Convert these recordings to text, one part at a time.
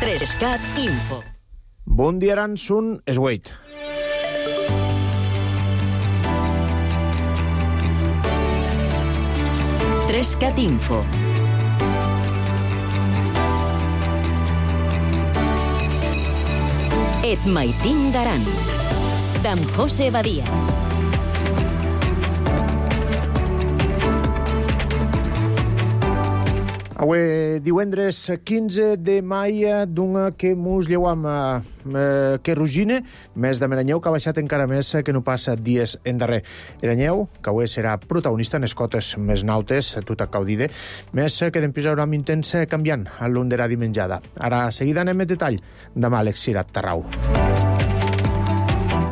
3CAT Info. Bon dia, Aransun, és Wade. Trescat Info. Et maitin d'Aran, d'en José Badia. Avui divendres 15 de mai, d'un que mos lleuam que rugine, més de Meranyeu, que ha baixat encara més que no passa dies endarrer. Meranyeu, que avui serà protagonista en les cotes més nautes, tot a caudide, més que d'empisar amb intens canviant a l'ondera dimenjada. Ara, seguida anem en detall, demà Àlex Cirat Tarrau.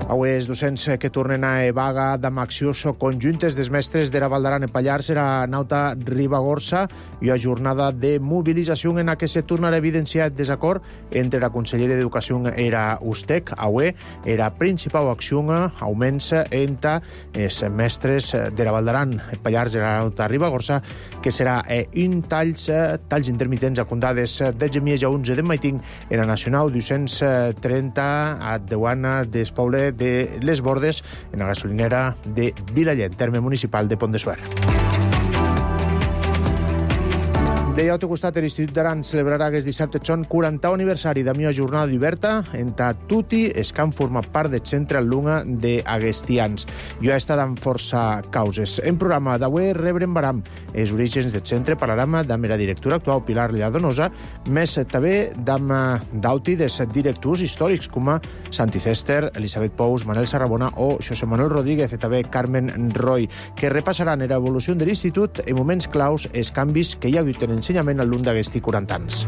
Avui els docents que tornen a vaga amb accions conjuntes dels mestres de la Val d'Aran en Pallars era Nauta Ribagorça i a jornada de mobilització en què se tornarà a evidenciar desacord entre la Conselleria d'Educació era USTEC. Avui era principal acció augments entre els mestres de la Val d'Aran en Pallars i la Nauta Ribagorça, que serà un talls intermitents a condades de Gemies a 11 de Maiting en la Nacional 230 a Deuana d'Espoble de les Bordes, en la gasolinera de Vilaller, terme municipal de Pont de Suert. De l'altre costat, l'Institut d'Aran celebrarà aquest dissabte son 40 aniversari de la jornada d'Iberta entre tutti els que han format part del centre alumne d'Aguestians. Jo he estat amb força causes. En programa d'avui rebrem baram els orígens del centre, parlarem amb la directora actual Pilar Lladonosa, més també d'auti dels directors històrics com Santi Cester, Elisabet Pous, Manel Sarrabona o José Manuel Rodríguez, i també Carmen Roy, que repassaran l'evolució de l'Institut en moments claus els canvis que hi ha hagut en ensenyament al lluny d'aquests 40 anys.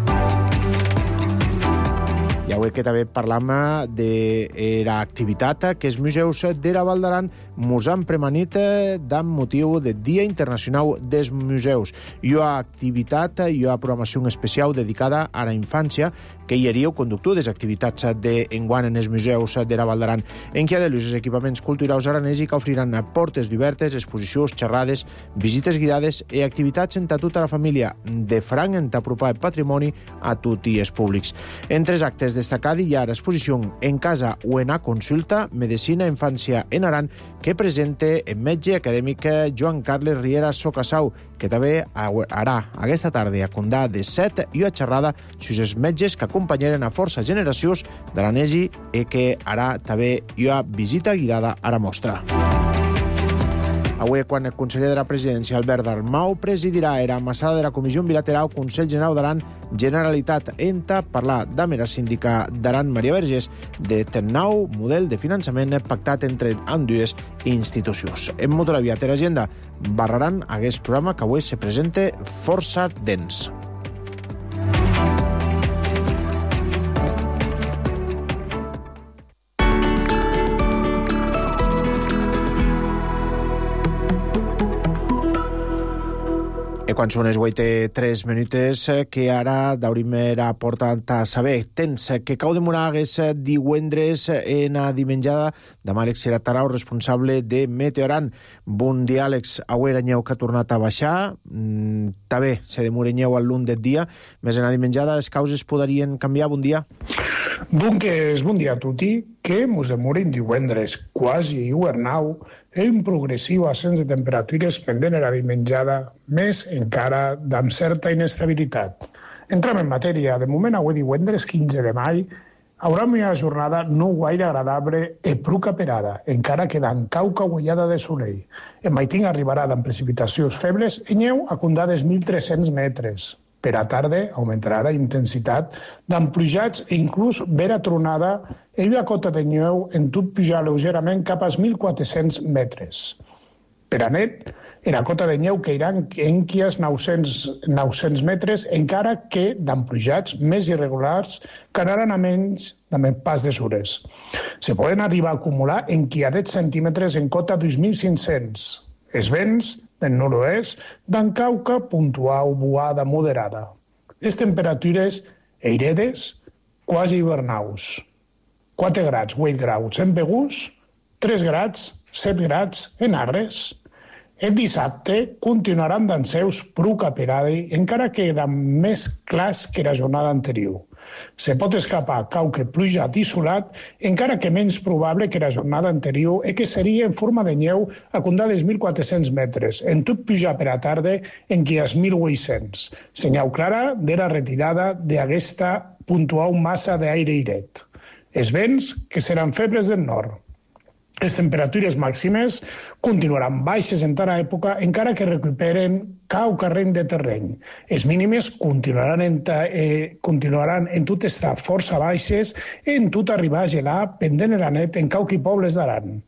I avui que també parlam de l'activitat que els museus de la Val d'Aran mos han premanit amb motiu del Dia Internacional dels Museus. Hi ha activitat, hi ha programació especial dedicada a la infància, que hi hauria el conductor de les activitats d'enguany en els museus de la Val d'Aran, en què ha de els equipaments culturals aranesi que oferiran portes obertes, exposicions, xerrades, visites guiades i activitats entre tota la família, de franc en apropar el patrimoni a tots els públics. Entre els actes destacats hi ha l'exposició En casa o en a consulta, Medicina Infància en Aran, que presenta el metge acadèmic Joan Carles Riera Socasau, que també harà aquesta tarda a Condà de 7 i a xerrada sobre els metges que acompanyaren a força generacions de l'Anesi i que ara també hi ha visita guiada a la mostra. Avui, quan el conseller de la Presidència, Albert Dalmau, presidirà la massada de la Comissió Bilateral Consell General d'Aran Generalitat enta parlar amb la síndica d'Aran, Maria Vergés, de nou model de finançament pactat entre ambdues institucions. En Motoraviat i l'Agenda barraran aquest programa que avui se presenta força dens. Quan són les 8:03 minutes, que ara d'obrim la porta a saber temps que cau demorar aquest divendres en la dimenjada de Àlex Cirat Tarrau, responsable de Meteoran. Bon dia, Àlex. Avui era neu que ha tornat a baixar. També se demora neu al lluny del dia. Més en la dimenjada, les causes podrien canviar. Bon dia. Doncs bon dia a tutti, que mos demorin divendres quasi hivernau i un progressiu ascens de temperatures pendent a la dimenjada, més encara amb certa inestabilitat. Entrem en matèria. De moment, avui divendres 15 de mai, haurà una jornada no gaire agradable i prou caperada, encara que d'en cauca guaiada de solell. En Maiting arribarà amb precipitacions febles i neu a condades 1.300 metres. Per a tarda augmentarà la intensitat d'emplujats i inclús vera tronada i la cota de neu en tot pujar lleugerament cap als 1.400 metres. Per a net, la cota de neu cairà en quies 900 metres, encara que d'emplujats més irregulars que anaran a menys de pas de sures. Se poden arribar a acumular en quiadets centímetres en cota 2.500. Els vents del nord-oest, d'en cauca puntual, boada, moderada. Les temperatures airedes, quasi hivernaus. 4 graus, 8 graus en Begús, 3 graus, 7 graus en Arres. El dissabte continuaran d'en seus prou caperada, encara que més clars que la jornada anterior. Se pot escapar qualque pluja isolat, encara que menys probable que la jornada anterior i que seria en forma de neu a condades 1.400 metres, en tot pujar per a tarda en qui és 1.800. Senyal clara de la retirada d'aquesta puntual massa d'aire iret. Els vents, que seran febles del nord. Les temperatures màximes continuaran baixes en tota època, encara que recuperen cau carreny de terreny. Les mínimes continuaran en tot estar força baixes i en tot arribar a gelar pendent a la net en cauqui pobles d'Aran.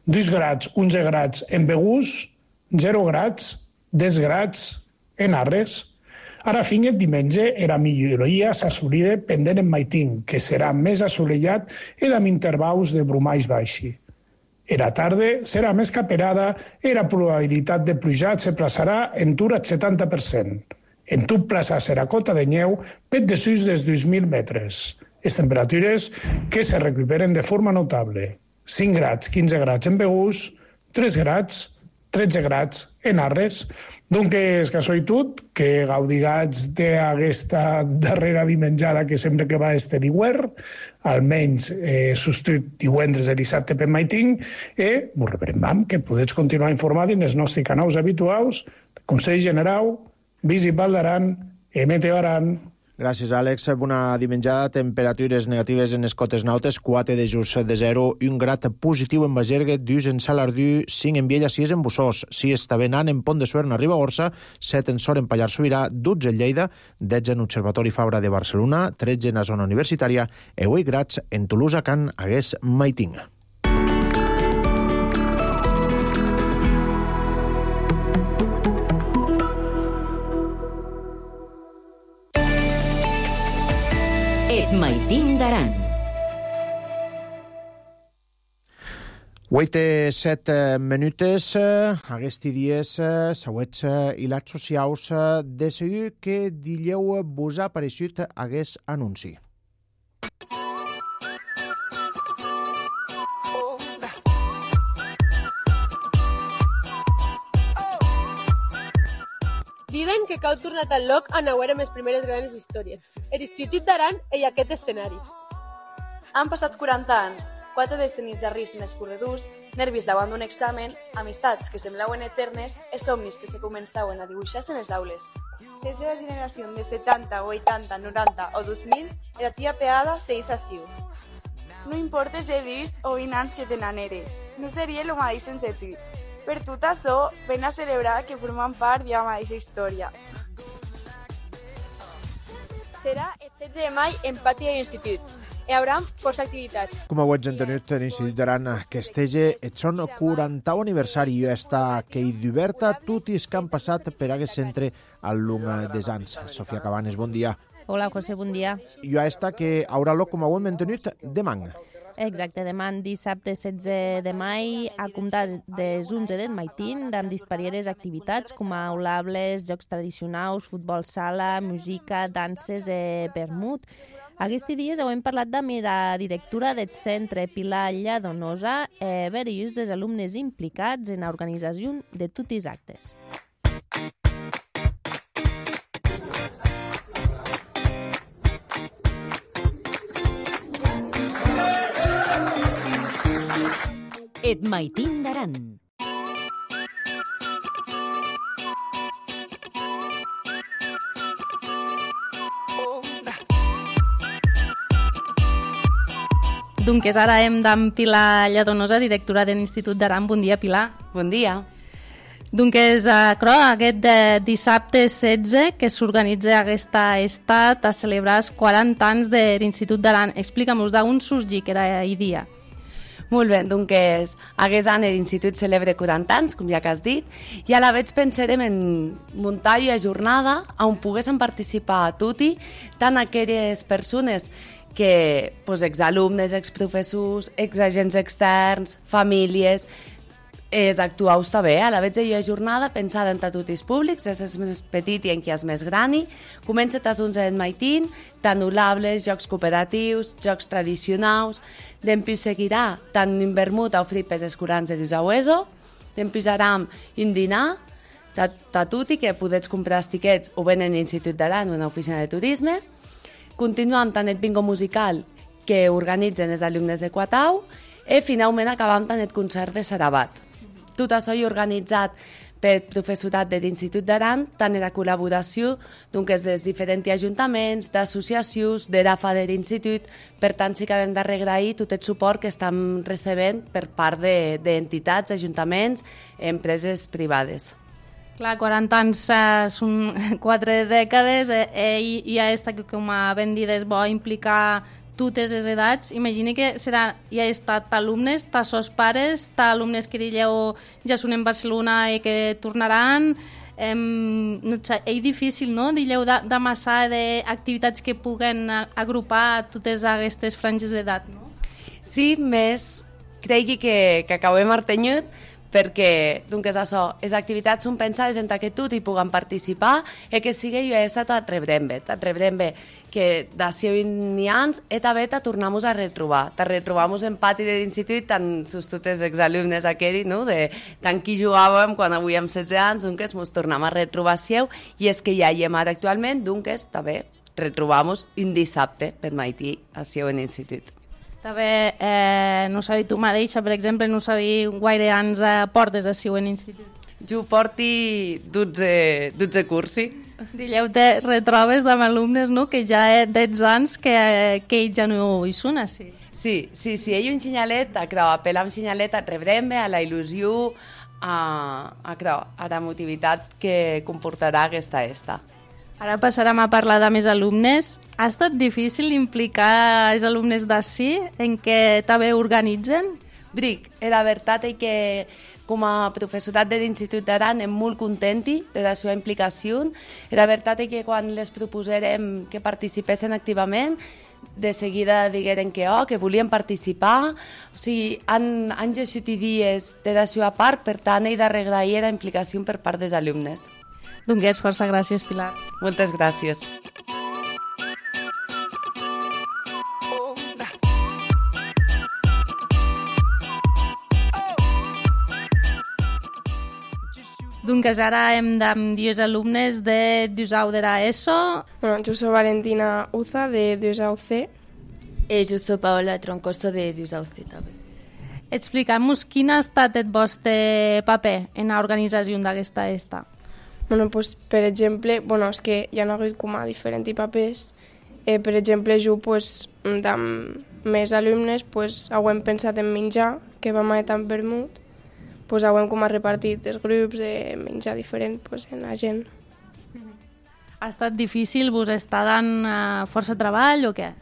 2 grads, 11 grads en Begús, 0 grads, 10 grads en Arres. Ara finget diumenge era milloria s'assolida pendent en Maitín, que serà més assolellat i amb intervals de brumalls baixi. Era tarda serà més caperada i la probabilitat de plujat se plaçarà en tur al 70%. En tot plaçar serà cota de neu pet de sus dels 2.000 metres. Les temperatures que se recuperen de forma notable. 5 grads, 15 grads en Begús, 3 grads, 13 grads en Arres. Doncs que soy tot, que gaudigats d'aquesta darrera dimenjada que sempre que va este d'hivern, almenys substitut divendres i dissabte per Maitín, i vos rebrem que podeu continuar informats en els nostres canals habituals, Consell General, Visit Val d'Aran i Meteo Aran. Gràcies, Àlex. Bona dimenjada. Temperatures negatives en les cotes nautes, 4 de just de 0, 1 grad positiu en Bagergue, 2 en Salardú, 5 en Viella, 6 en Bussós, 6 Tabenant, en Pont de Suert, a Ribagorça, 7 en Sor, en Pallars Sobirà, 12 en Lleida, 10 en Observatori Fabra de Barcelona, 13 en la zona universitària i 8 grads en Tolosa, Can Agués, Maitín. Et Maitín d'Aran. 8-7 minutes, aquests dies següents i les socials de seguir que dileu vos ha apareixut aquest anunci. Diuen que cau tornar tan loc a veure les primeres grans històries. L'Institut d'Aran i aquest escenari. Han passat 40 anys, 4 decennis de risc en els corredors, nervis davant d'un examen, amistats que semblaven eternes i somnis que se començaven a dibuixar-se en les aules. Si és de la generació de 70, 80, 90 o 2000, la tia pegada segueix així. No importa si dius o 20 anys que tenen eres, no seria el mateix sense tu. Per tot això, ven a celebrar que formen part de la mateixa història. Serà el 16 de maig en pati de l'Institut. Hi haurà força activitats. Com ho ets entenut, l'Institut d'Aran que estege el son 40 aniversari i està que hi diverta tots els que han passat per aquest centre al llarg dels anys. Sofia Cabanes, bon dia. Hola, José, bon dia. I està que haurà lloc, com ho hem entenut, demà. Exacte, demà dissabte 16 de maig a comptar des 11 del Maitín amb disparieres activitats com aulables, jocs tradicionals, futbol sala, música, danses i vermut. Aquests dies hem parlat amb la directora del centre, Pilar Lladonosa, i diversos dels alumnes implicats en l'organització de tots els actes. Et Maitín d'Aran. Doncs ara hem d'en Pilar Lladonosa, directora de l'Institut d'Aran. Bon dia, Pilar. Bon dia. Doncs aquest dissabte 16 que s'organitza aquesta estat a celebrar els 40 anys de l'Institut d'Aran. Explica'm-nos d'on sorgí que era el dia. Molt bé, doncs aquest any l'Institut celebra 40 anys, com ja que has dit, i a la vegada pensarem en muntar una jornada on poguessin participar tutti, tant aquelles persones que, exalumnes, exprofessors, exagents externs, famílies, els actuals també. A la vegada hi ha jornada pensada en tots els públics, és el més petit i en qui és més gran. Comença a 11 de Maitín, tant olables, jocs cooperatius, jocs tradicionals. Després seguirà tant un vermut a oferir per els curants de Dusaueso. Després haram un dinar a tutti que podeu comprar els tiquets o ben en l'Institut d'Aran o en l'oficina de turisme. continuam tant el bingo musical que organitzen els alumnes de Quatau i finalment acabam tant el concert de Sarabat. Tot això és organitzat pel professorat de l'Institut d'Aran, tant en la col·laboració dels diferents ajuntaments, d'associacions, de l'AFA de l'Institut. Per tant, sí que hem de reagrair tot el suport que estem recebent per part d'entitats, ajuntaments, empreses privades. Clar, 40 anys són 4 dècades, i ja està, com ben dit, és bo implicar totes les edats. Imagini que ja ha estat alumnes, sos pares, alumnes que dilleu ja són en Barcelona i que tornaran. És difícil, no?, dilleu, d'amassar d'activitats que puguen agrupar totes aquestes franges d'edat, no? Sí, més cregui que acabem artenyut, perquè, doncs, això, les activitats són pensades en que tot hi puguen participar i que sigui jo he estat a rebrem-bé, que d'ací 20 anys he també tornem-nos a retrobar. Retrobar-nos en pati de l'institut, tant sus tots els exalumnes aquells, no?, de tant qui jugàvem quan avui amb 16 anys, doncs, ens tornem a retrobar seu, i és que ja hi hem ara actualment, doncs, també retrobar-nos un dissabte per matí a seu en l'institut. També, no sabia tu mateixa, per exemple, no sabia gaire anys portes a seu en institut. Jo porti 12 cursi. Dilleu, te retrobes amb alumnes, no?, que ja 10 anys que ells ja no hi són, sí. Sí, ell un xinyalet, apel·lar un xinyalet a rebrem-me, a la il·lusió, a la motivitat que comportarà aquesta esta. Ara passarem a parlar de més alumnes. Ha estat difícil implicar els alumnes d'ací en què també organitzen? Bric, la veritat és que com a professorat de l'Institut d'Aran em molt contenti de la seva implicació. La veritat és que quan les proposarem que participessin activament, de seguida digueren que volien participar. O sigui, han llegit dies de la seva part, per tant, he d'agrair la implicació per part dels alumnes. Doncs força gràcies, Pilar. Moltes gràcies. Doncs ara hem de dir els alumnes de Dusau de l'ESO. Bueno, jo soc Valentina Uza, de Dusau C. Jo soc Paola Troncoso, de Dusau C, també. Explica'm-nos quin ha estat el vostre paper en l'organització d'aquesta esta. Bueno, pues, per exemple, és que hi ha hagut com a diferents papers. Per exemple, jo, amb més alumnes, hem pensat en menjar, que vam anar tan vermut, hem com a repartit els grups de menjar diferent en la gent. Ha estat difícil? Vos està dant força treball o què?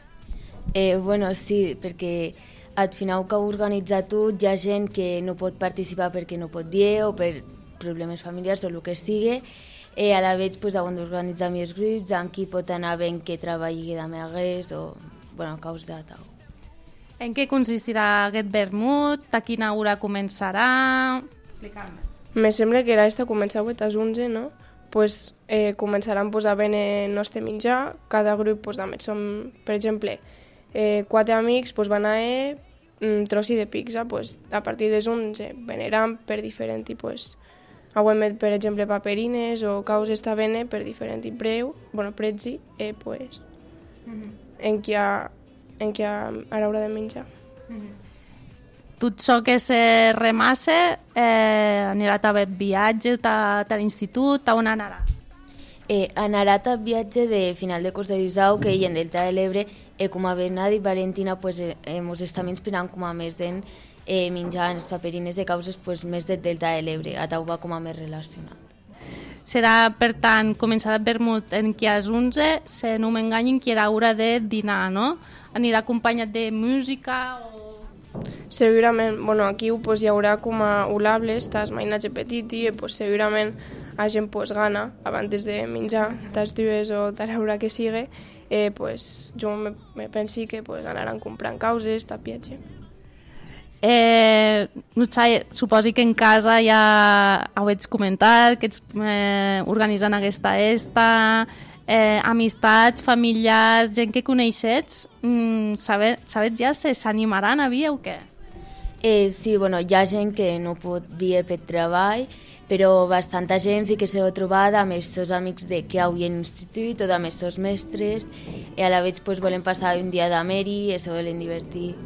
Bueno, sí, perquè al final que ho organitza tot, hi ha gent que no pot participar perquè no pot dir o per problemes familiars o el que sigui, a la vegada hem d'organitzar més grups, en qui pot anar ben que treballi de més o a causa de tal. En què consistirà aquest vermut? A quina hora començarà? Explica'm. Me sembla que l'esta comença a 8 a 11, no? Començaran a venir el nostre menjar, cada grup som, per exemple, 4 amics van a trossi de pizza, a partir de 11 veniran per diferent tipus. Avui, per exemple, paperines o caus està bene per diferent preu, prezzi, en què a l'hora de menjar. Tot això que se remassa anirà també viatge a l'institut, a on anarà? Anarà a viatge de final de curs de Dusau, que en Delta de l'Ebre, com a Bernat i Valentina, ens estem inspirant com a més en menjar les paperines de causes més del Delta de l'Ebre, a tau va com a més relacionat. Serà, per tant, començarà el vermut en qui és 11, si no m'enganyin, que era hora de dinar, no? Anirà acompanyat de música o... Segurament, aquí hi haurà com a ulables, tas mainatge petit i segurament la gent gana abans de menjar, tas dues o tal hora que sigui, jo me pensi que anaran comprant causes, tapiatge. Suposi que en casa ja ho ets comentat, que ets organitzant aquesta esta, amistats, familiars, gent que coneixets, sabets ja si s'animaran a vir o què? Sí, hi ha gent que no pot vir per treball, però bastanta gent sí que s'ha trobat amb els seus amics que hi ha a l'institut o amb els seus mestres, i a la vegada pues, volem passar un dia d'ameri i se volen divertir.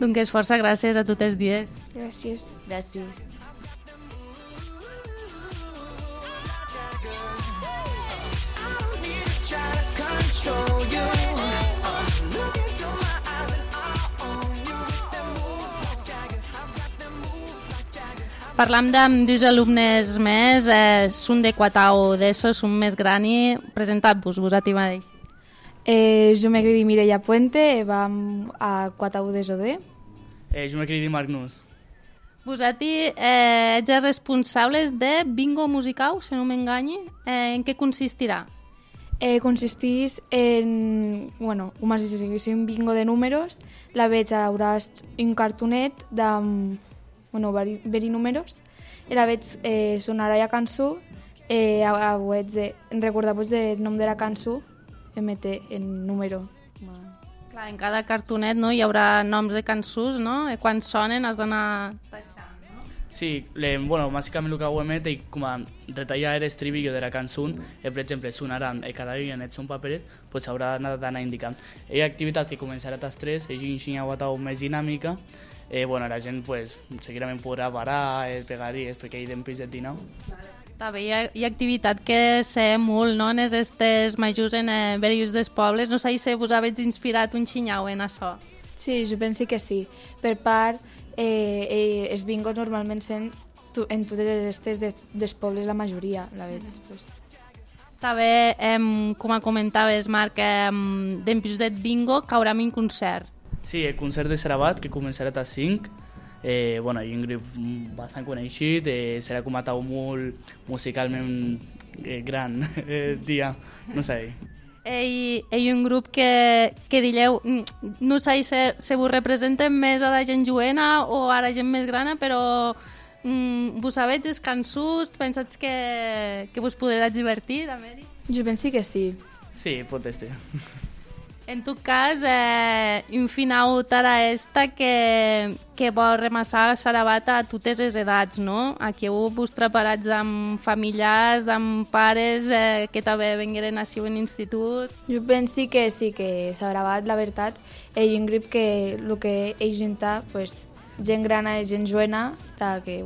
Doncs força gràcies a totes dues. Gràcies. Gràcies. Parlam amb dos alumnes més, són de quatau d'ESO, són més grani. Presentad-vos, vosaltres mateix. Jo me cridi Mireia Puente, vam a quatau d'ESO D. Jo me cridi Magnus. Vosaltres ets responsables de bingo musical, si no m'enganyi. En què consistirà? Consistís en, com si sigui un bingo de números, la veig hauràs un cartonet de vari números, i la veig sonarà la cançó, recordar-vos el nom de la cançó, emete el número. Clar, en cada cartonet hi haurà noms de cançons, no? I quan sonen has d'anar tachant. Sí, bàsicament el que ho emet és com a retallar l'estribillo de la cançó, per exemple, sonarà cada dia en un paperet, doncs haurà d'anar indicant. Hi ha activitat que començarà a les 3, és una guatau més dinàmica, la gent seguidament podrà parar, pegaries, perquè hi ha temps de dinar. També hi ha activitat que sé molt, no?, en aquestes majors en veus dels pobles. No sé si vos habéis inspirat un xinyau en això. Sí, jo penso que sí. Per part, els bingos normalment són en totes aquestes dels pobles la majoria, la veig. També, com comentaves, Marc, d'empius del bingo caurà un concert. Sí, el concert de Sarabat, que començarà a 5. Hi ha un grup bastant coneixit, serà com a tau molt musicalment gran dia, no sé. Hi ha un grup que dilleu, no sé si vos representen més a la gent joena o a la gent més grana, però vos sabeu les cançons, pensats que vos podràs divertir, també? Jo penso que sí. Sí, pot ser. En tot cas, un final tara esta que vol remassar Sarabat a totes les edats, no? Aquí vos preparats amb familiars, amb pares que també vengueren a ser un institut. Jo penso que sí, que Sarabat, la veritat, és un grup que el que ell junta, gent grana i gent joena, que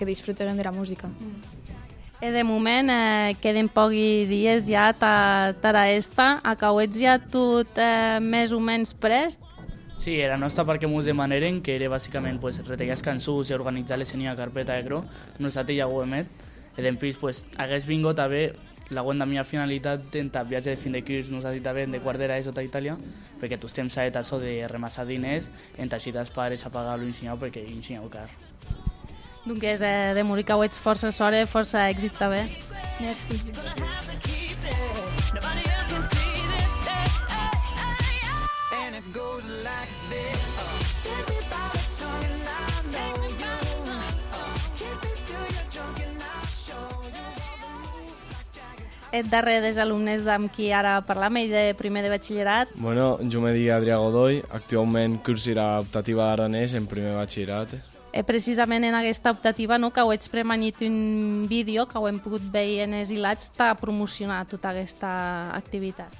disfruten de la música. De moment queden pocs dies ja tara esta. Acauets ja tot més o menys prest? Sí, la nostra part que ens demanaren, que era bàsicament retallar les cançons i organitzar-les en una carpeta de cro, nosaltres ja ho hem fet. I després, hagués vingut també la meva finalitat en viatge de fin de curs, nosaltres també de quart d'ESO a Itàlia, perquè tots temps s'ha això de remassar diners, en teixir els pares a pagar l'ensenyau perquè l'ensenyau car. Doncs de morir que ho ets força sort, força èxit també. Merci. Et darrer dels alumnes amb qui ara parlam, ell de primer de batxillerat. Bueno, jo me dic Adrià Godoy, actualment cursirà optativa d'aranès en primer batxillerat. Precisament en aquesta optativa que ho ets premanit un vídeo que ho hem pogut veure en els hilats per promocionar tota aquesta activitat.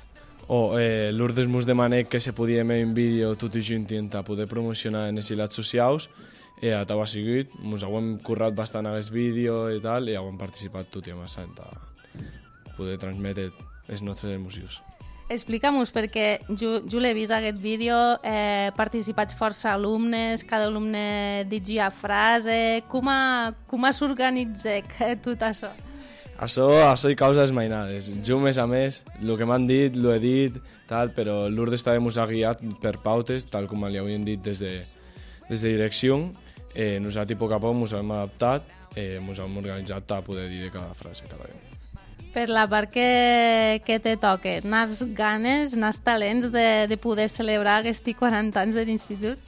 Lourdes mos demana que se podia fer un vídeo tot i junt per poder promocionar en els hilats socials i a ho ha sigut, ens hem currat bastant aquest vídeo i tal i hem participat tot i amb això per poder transmetre les nostres emocions. Explica'm-nos, perquè jo l'he vist aquest vídeo, participats força alumnes, cada alumne digia frase, com s'organitza tot això? Això hi causes mainades. Jo, més a més, el que m'han dit, l'he dit, però Lourdes també ens ha guiat per pautes, tal com li havien dit des de direcció. Nosaltres, a poc a poc, ens hem adaptat, ens hem organitzat per poder dir cada frase cada dia. Per la part que te toca, n'has ganes, n'has talents de poder celebrar aquests 40 anys de l'institut?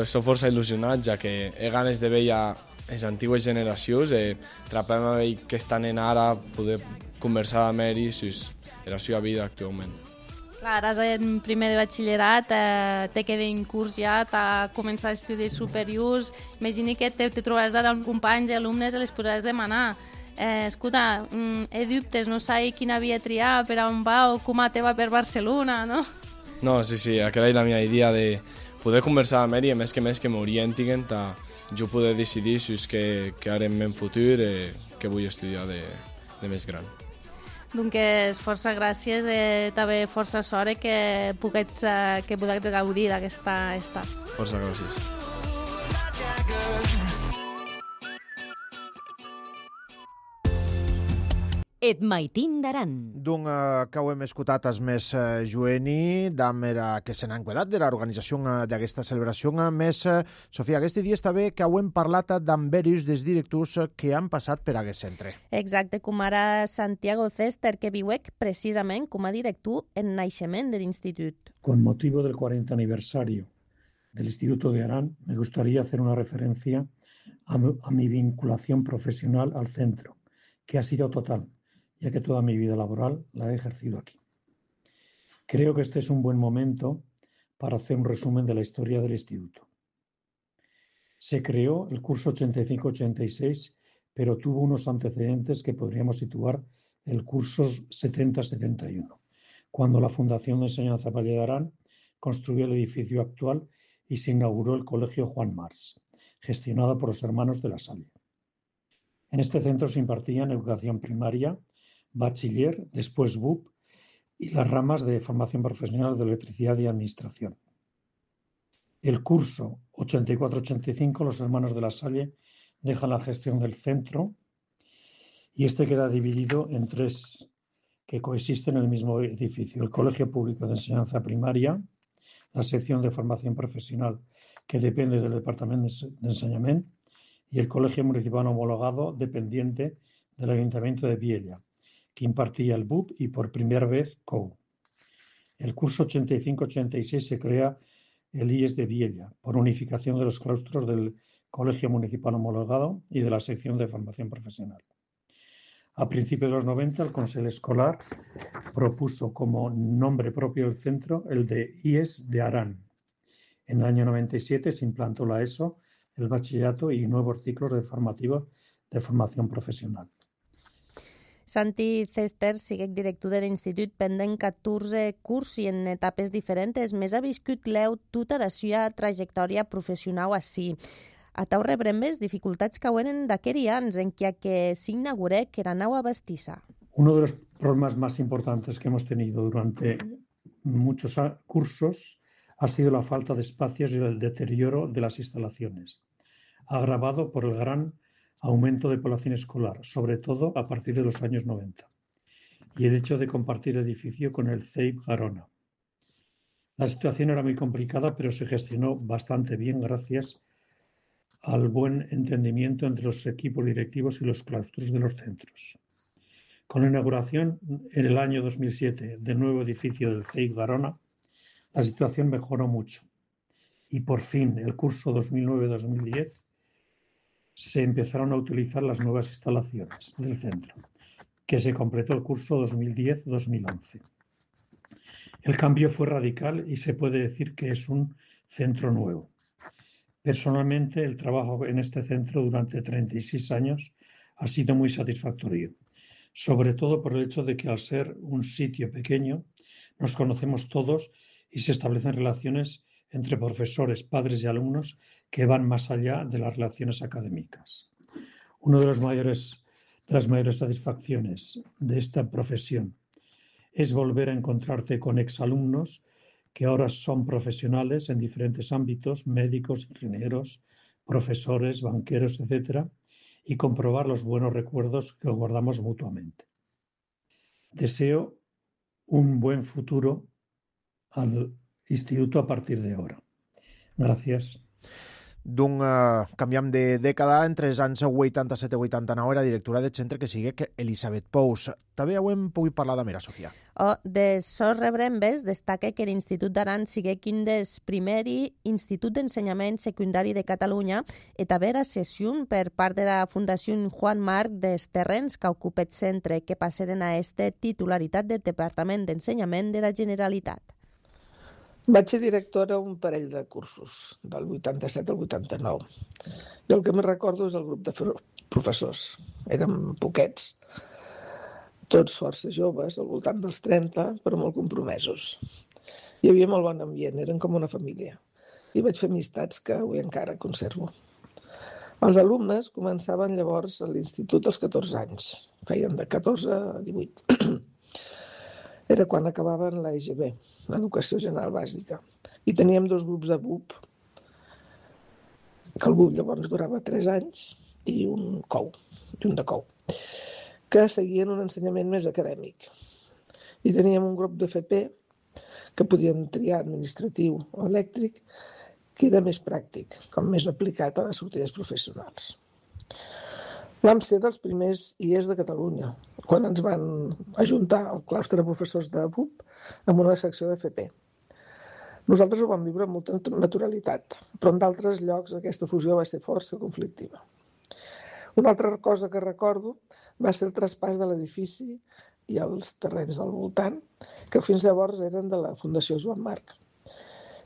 Soc força il·lusionat, ja que he ganes de veure les antigues generacions, trapem a veure que estan ara, poder conversar amb ells sobre la seva vida actualment. Clar, ara en primer de batxillerat, te queda un curs ja, t'ha començat estudis superiors, imagini que te trobaràs d'ara amb companys i alumnes i les podràs demanar. escolta, he dubtes, no sé quina via triar, per on va o com te va per Barcelona, no? No, sí, aquella és la meva idea de poder conversar amb ell i a més que m'orientin a jo poder decidir si és que ara en el futur que vull estudiar de més gran. Doncs força gràcies, també força sort que puguets gaudir d'aquesta estat. Força gràcies. Et maitin d'aran. Que ho hem escoltat és més jueni, d'amera que se n'ha enquedat de l'organització d'aquesta celebració. Més, Sofia, aquest dia està bé que ho hem parlat d'amb diversos dels directors que han passat per aquest centre. Exacte, com ara Santiago Cester, que viuec precisament com a director en naixement de l'institut. Con motivo del 40 aniversario del Instituto de Arán, me gustaría hacer una referencia a mi vinculación profesional al centro, que ha sido total, ya que toda mi vida laboral la he ejercido aquí. Creo que este es un buen momento para hacer un resumen de la historia del instituto. Se creó el curso 85-86, pero tuvo unos antecedentes que podríamos situar el curso 70-71, cuando la Fundación de Enseñanza Valle de Arán construyó el edificio actual y se inauguró el Colegio Juan Mars, gestionado por los hermanos de la Salle. En este centro se impartían educación primaria, bachiller, después BUP y las ramas de formación profesional de electricidad y administración. El curso 84-85, los hermanos de la Salle dejan la gestión del centro y este queda dividido en tres que coexisten en el mismo edificio: el Colegio Público de Enseñanza Primaria, la sección de formación profesional que depende del Departamento de Enseñamiento y el Colegio Municipal Homologado dependiente del Ayuntamiento de Viella, que impartía el BUP y por primera vez COU. El curso 85-86 se crea el IES de Viella por unificación de los claustros del Colegio Municipal Homologado y de la sección de formación profesional. A principios de los 90 el Consell Escolar propuso como nombre propio del centro el de IES de Arán. En el año 97 se implantó la ESO, el bachillerato y nuevos ciclos de formación profesional. Santi Cester sigue director de l'Institut pendent 14 cursos i en etapes diferents. Més ha viscut l'eu tota la seva trajectòria professional així. A tau rebrembes dificultats que huenen d'aquells anys en que s'inauguré que era nau a Bastissa. Uno de los problemas más importantes que hemos tenido durante muchos cursos ha sido la falta de espacios y el deterioro de las instalaciones, agravado por el gran aumento de población escolar, sobre todo a partir de los años 90, y el hecho de compartir edificio con el CEIP Garona. La situación era muy complicada, pero se gestionó bastante bien gracias al buen entendimiento entre los equipos directivos y los claustros de los centros. Con la inauguración en el año 2007 del nuevo edificio del CEIP Garona, la situación mejoró mucho y por fin el curso 2009-2010 se empezaron a utilizar las nuevas instalaciones del centro, que se completó el curso 2010-2011. El cambio fue radical y se puede decir que es un centro nuevo. Personalmente, el trabajo en este centro durante 36 años ha sido muy satisfactorio, sobre todo por el hecho de que al ser un sitio pequeño nos conocemos todos y se establecen relaciones entre profesores, padres y alumnos que van más allá de las relaciones académicas. Una de las mayores satisfacciones de esta profesión es volver a encontrarte con exalumnos que ahora son profesionales en diferentes ámbitos, médicos, ingenieros, profesores, banqueros, etc., y comprobar los buenos recuerdos que guardamos mutuamente. Deseo un buen futuro al instituto a partir de ahora. Gràcies. Canviam de dècada. Entre els anys 87 i 89 era directora del centre que sigue Elisabet Pous. També ho hem pogut parlar d'amera, Sofia. De sos rebrembes destaca que l'Institut d'Aran sigue quin des primeri Institut d'Ensenyament Secundari de Catalunya i també era cessió per part de la Fundació Juan Marc dels terrenys que ocupa el centre, que passaren a este titularitat del Departament d'Ensenyament de la Generalitat. Vaig ser directora un parell de cursos, del 87 al 89. I el que més recordo és el grup professors. Érem poquets, tots força joves, al voltant dels 30, però molt compromesos. Hi havia molt bon ambient, eren com una família. I vaig fer amistats que avui encara conservo. Els alumnes començaven llavors a l'institut als 14 anys. Feien de 14 a 18. Era quan acabaven la EGB, l'Educació General Bàsica. I teníem 2 grups de BUP, que el BUP llavors durava 3 anys, i un de COU, que seguien un ensenyament més acadèmic. I teníem un grup d'FP, que podíem triar administratiu o elèctric, que era més pràctic, com més aplicat a les sortides professionals. Vam ser dels primers IES de Catalunya, quan ens van ajuntar al claustre de professors de BUP amb una secció d'FP. Nosaltres ho vam viure amb molta naturalitat, però en d'altres llocs aquesta fusió va ser força conflictiva. Una altra cosa que recordo va ser el traspàs de l'edifici i els terrenys del voltant, que fins llavors eren de la Fundació Joan Marc,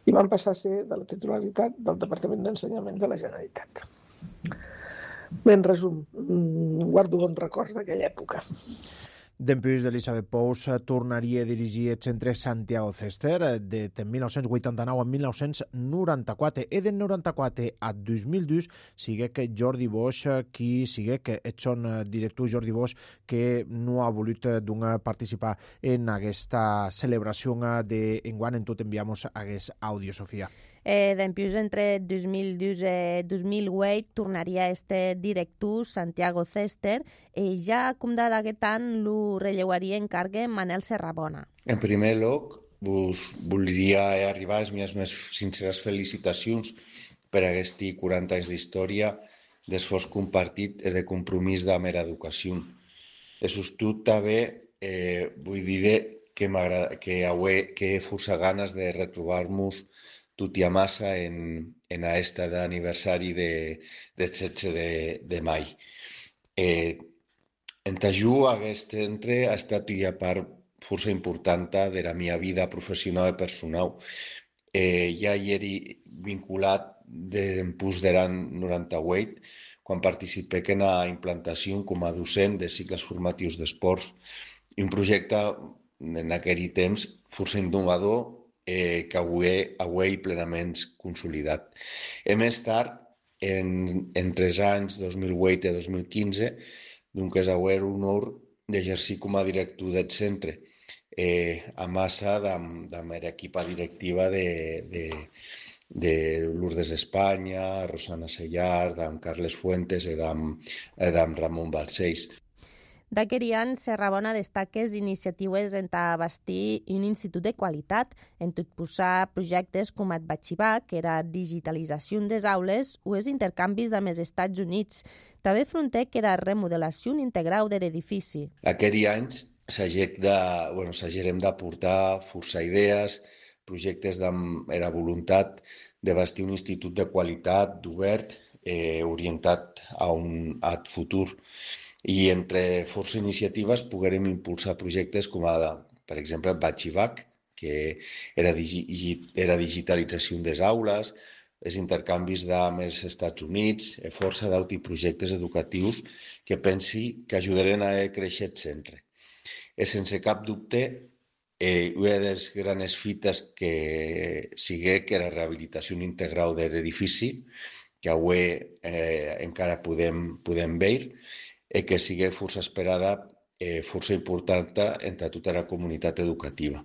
i van passar a ser de la titularitat del Departament d'Ensenyament de la Generalitat. Bé, en resum, guardo bons records d'aquella època. Dempús d'Elisabet Pous tornaria a dirigir el centre Santiago Cester de 1989 a 1994 i de 94 a 2002 sigue que Jordi Bosch qui sigue que ets son director Jordi Bosch que no ha volut participar en aquesta celebració d'enguany. En tot enviamos aquest àudio, Sofia. Dempús entre 2002 i 2008 tornaria este director Santiago Cester i ja com d'aquest any lo relleuaria en càrrega Manel Serrabona. En primer lloc, vos voldria arribar les meves més sinceres felicitacions per aquests 40 anys d'història d'esforç compartit i de compromís de mera educació. E sostot també vull dir que he força ganes de retrobar-nos tot i a massa en aquesta d'aniversari del 16 de maig. Entajú, aquest centre ha estat una part força important de la meva vida professional i personal. Ja hi era vinculat d'empús de l'any 98, quan participé en la implantació com a docent de cicles formatius d'esports, i un projecte en aquell temps força innovador que avui plenament consolidat. Més tard, entre els anys 2008 i 2015, doncs és avui un honor d'exercir com a director del centre, a massa de la meva equipa directiva de Lourdes Espanya, Rosana Sellar, d'en Carles Fuentes i d'en Ramon Balcells. D'aquest any, Serrabona destaca les iniciatives en bastir un institut de qualitat, en tot posar projectes com el Batxivac, que era digitalització des aules, o els intercanvis amb els Estats Units. També fronter que era remodelació integral de l'edifici. Aquests anys s'hagerem d'aportar força idees, projectes amb la voluntat de bastir un institut de qualitat, obert, orientat a futur. I entre força iniciatives poguérem impulsar projectes com, per exemple, Batxivac, que era digitalització des aules, els intercanvis amb els Estats Units, força d'altres projectes educatius que pensi que ajudaran a créixer el centre. Sense cap dubte, una de les grans fites que sigui que la rehabilitació integral de l'edifici, que avui encara podem veure, i que sigui força esperada, força important entre tota la comunitat educativa.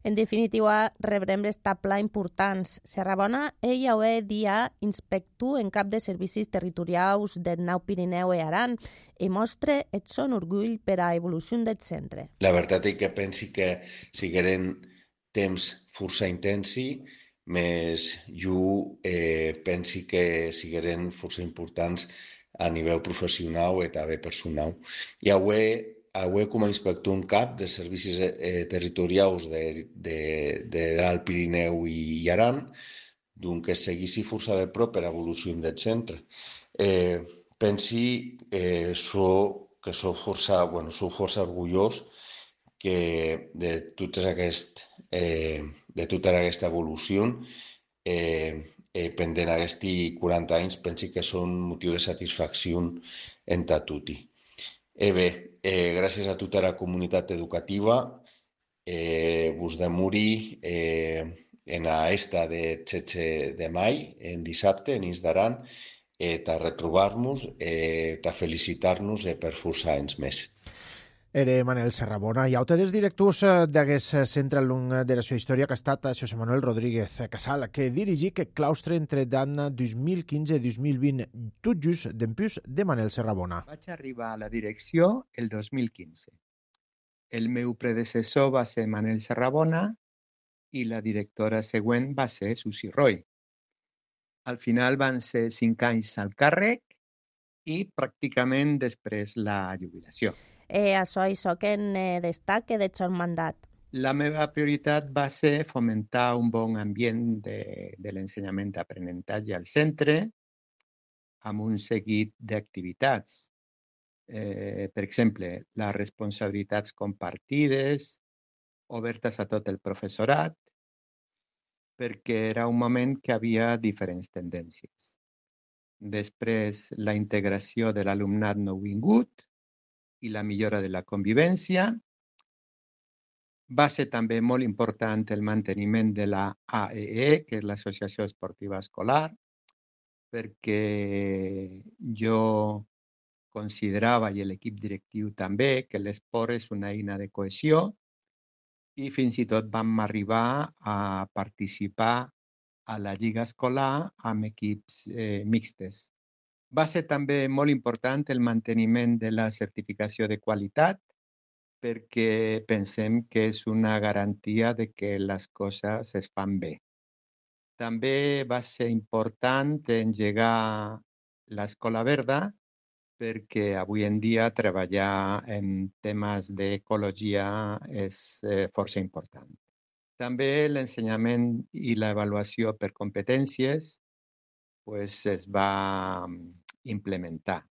En definitiva, rebrem les tabla importants. Serrabona, ell avui dia inspector en cap de servicis territorials del Nou Pirineu i Aran i mostra el son orgull per a l'evolució del centre. La veritat és que pensi que sigueren temps força intensi, més jo pensi que sigueren força importants a nivell professional i també personal. I avui com a inspector en cap de servicis territorials de l'Alt Pirineu i Aran, doncs seguissi força de prop per a l'evolució del centre. Pensi que sou força orgullós de tota aquesta evolució pendent aquests 40 anys, pensi que són motiu de satisfacció en tutti. Bé, gràcies a tota la comunitat educativa, vos demuri en esta de 16 de mai, en dissabte, en Isdaran, ta retrobar-nos, ta felicitar-nos per força anys més. Era Manel Serrabona. I aute dels directors d'aquest centre alumn de la seva història que ha estat José Manuel Rodríguez Casal, que dirigí aquest claustre entre l'any 2015 i 2020, tot just d'empús de Manel Serrabona. Vaig arribar a la direcció el 2015. El meu predecessor va ser Manel Serrabona i la directora següent va ser Susi Roy. Al final van ser 5 anys al càrrec i pràcticament després la jubilació. Això que en destaca del seu mandat. La meva prioritat va ser fomentar un bon ambient de l'ensenyament d'aprenentatge al centre amb un seguit d'activitats. Per exemple, les responsabilitats compartides, obertes a tot el professorat, perquè era un moment que havia diferents tendències. Després, la integració de l'alumnat nouvingut i la millora de la convivència. Va ser també molt important el manteniment de la AEE, que és l'Associació Esportiva Escolar, perquè jo considerava, i l'equip directiu també, que l'esport és una eina de cohesió i fins i tot vam arribar a participar a la Lliga Escolar amb equips mixtes. Va ser també molt important el manteniment de la certificació de qualitat perquè pensem que és una garantia de que les coses es fan bé. També va ser important engegar l'Escola Verda perquè avui en dia treballar en temes d'ecologia és força important. També l'ensenyament i l'avaluació per competències es va implementar.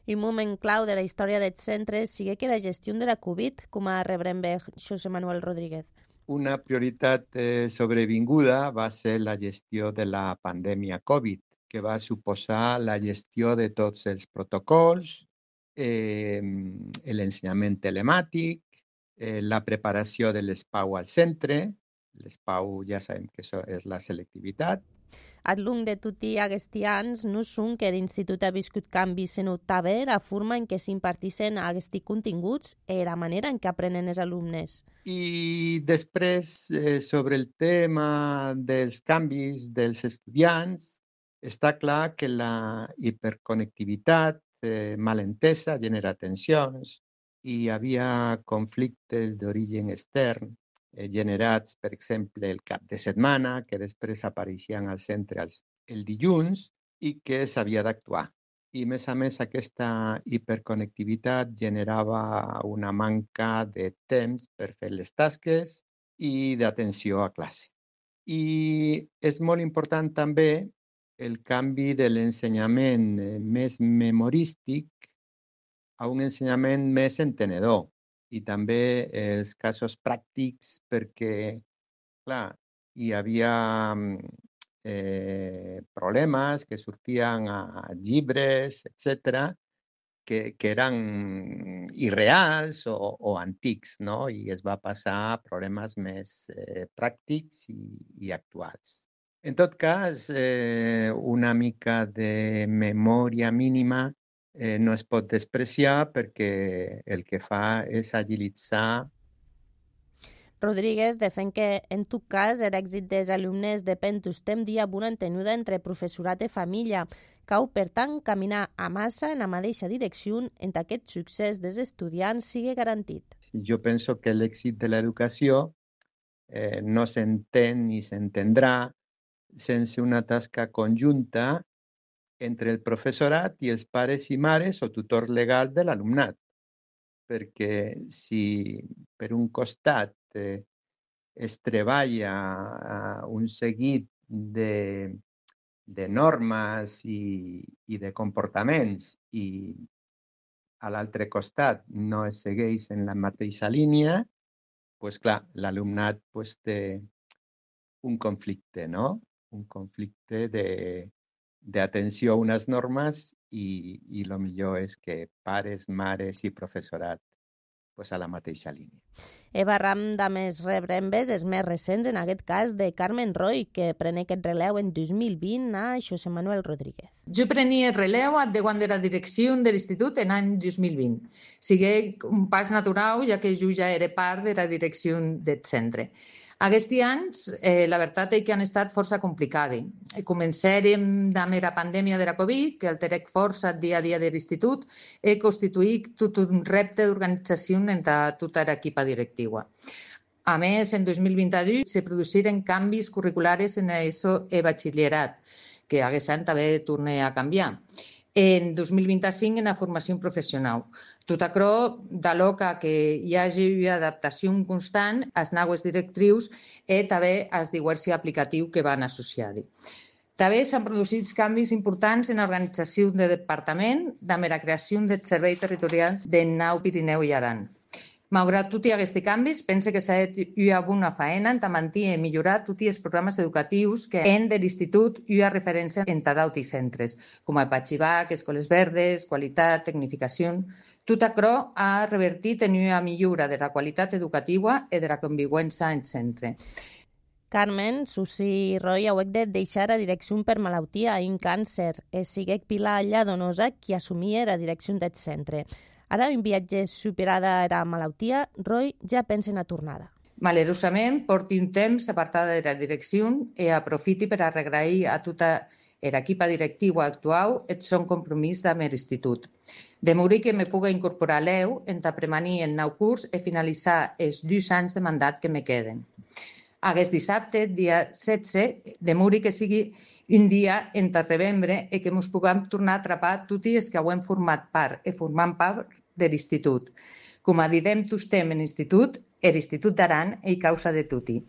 I un moment clau de la història dels centres sigue que la gestió de la Covid, com a rebrem bé José Manuel Rodríguez. Una prioritat sobrevinguda va ser la gestió de la pandèmia Covid, que va suposar la gestió de tots els protocols, l'ensenyament telemàtic, la preparació de l'ESPAU al centre. L'ESPAU ja sabem que això és la selectivitat. Al lung de tutti aquests anys, no són que l'Institut ha viscut canvis en també la forma en què s'imparteixen aquests continguts i la manera en què aprenen els alumnes. I després, sobre el tema dels canvis dels estudiants, està clar que la hiperconnectivitat mal entesa genera tensions i hi havia conflictes d'origen extern generats, per exemple, el cap de setmana, que després apareixien al centre el dilluns i que s'havia d'actuar. I, a més, aquesta hiperconnectivitat generava una manca de temps per fer les tasques i d'atenció a classe. I és molt important també el canvi de l'ensenyament més memorístic a un ensenyament més entenedor. I també els casos pràctics perquè, clar, hi havia problemes que sortien a llibres, etc., que eren irreals o antics, no? I es va passar a problemes més pràctics i actuals. En tot cas, una mica de memòria mínima no es pot despreciar perquè el que fa és agilitzar. Rodríguez defèn que, en tot cas, l'èxit dels alumnes depèn d'un dia amb una entenuda entre professorat i família. Cal, per tant, caminar a massa en la mateixa direcció en què aquest succés dels estudiants sigui garantit. Jo penso que l'èxit de l'educació no s'entén ni s'entendrà sense una tasca conjunta entre el professorat i els pares i mares o tutors legals de l'alumnat. Perquè si per un costat es treballa un seguit de normes i de comportaments i a l'altre costat no es segueix en la mateixa línia, doncs clar, l'alumnat té un conflicte, no? un conflicte d'atenció a unes normes i el millor és que pares, mares i professorat pues, a la mateixa línia. Barram de més rebrembes és més recents, en aquest cas de Carmen Roy, que pren aquest relleu en 2020 a José Manuel Rodríguez. Jo prenia el relleu de quan era direcció de l'institut en l'any 2020. Sigui un pas natural, ja que jo ja era part de la direcció del centre. Aquests anys, la veritat és que han estat força complicats. Començarem amb la pandèmia de la Covid, que alterec força el dia a dia de l'institut i constituït tot un repte d'organització entre tota l'equipa directiva. A més, en 2022 se produciren canvis curriculares en ESO i batxillerat, que aquest any també torna a canviar. En 2025 en la formació professional. Tot això d'aloca que hi hagi una adaptació constant als noves directrius i també als diversos aplicatius que van associar-hi. També s'han produït canvis importants en l'organització del departament amb la creació del Servei Territorial del Nou Pirineu i Aran. Malgrat tots aquests canvis, pense que s'ha fet una bona feina en mantenir i millorar tots els programes educatius que han de l'Institut una referència en d'altres centres, com el Patxibac, Escoles Verdes, Qualitat, Tecnificació. Tot això ha revertit en una millora de la qualitat educativa i de la convivència en centre. Carmen, Susi Roy hauec de deixar la direcció per malaltia i un càncer. Siguec Pilar Lladonosa qui assumia la direcció del centre. Ara, un viatge superada la malaltia, Roy ja pensa en la tornada. Malerosament, porti un temps apartada de la direcció i aprofiti per agrair a tota l'equip directiu actual el seu compromís amb l'institut. De morir que me puga incorporar l'EU en premanir el nou curs i finalitzar els 2 anys de mandat que me queden. Aquest dissabte, dia 16, de morir que sigui un dia entre novembre i que ens puguem tornar a atrapar tots els que hem format part i formant part de l'institut. Com a didem tots temps en l'institut, l'Institut d'Aran i causa de tutti.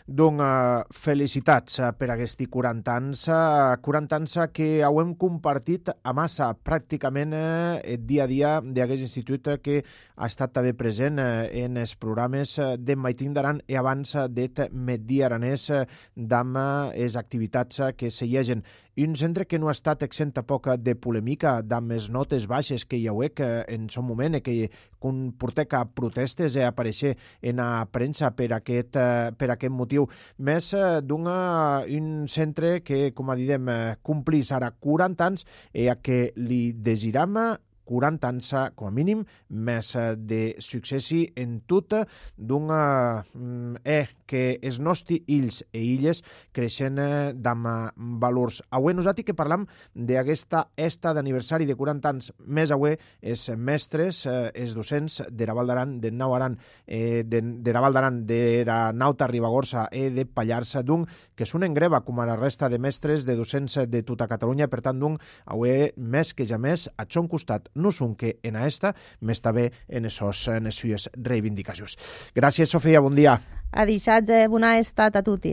Doncs felicitats per aquests 40 anys que hem compartit a massa pràcticament el dia a dia d'aquest institut que ha estat també present en els programes de Maitín d'Aran i abans de Medi Aranès d'amb les activitats que segueixen. Un centre que no ha estat exenta poc de polèmica d'amb les notes baixes que hi hauec en son moment i que comportec a protestes i aparèixer en la premsa per aquest motiu. Més un centre que, com a didem, complís ara 40 anys i a que li desiram 40 anys, com a mínim, més de successi en tot que els nostres ills i illes creixen d'amb valors. Avui nosaltres que parlam d'aquesta esta d'aniversari de 40 anys, més avui els mestres, els docents de la Val d'Aran, de Nau Aran, de la Val d'Aran, de la Nauta Ribagorça i de Pallars, que són en greva, com a la resta de mestres, de docents de tota Catalunya. Per tant, avui, més que ja més, a son costat, no són que en aquesta, més també en les seues reivindicacions. Gràcies, Sofia, bon dia. A dissatge, bona estat a tutti.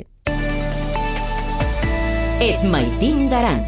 Et Maitín d'Aran.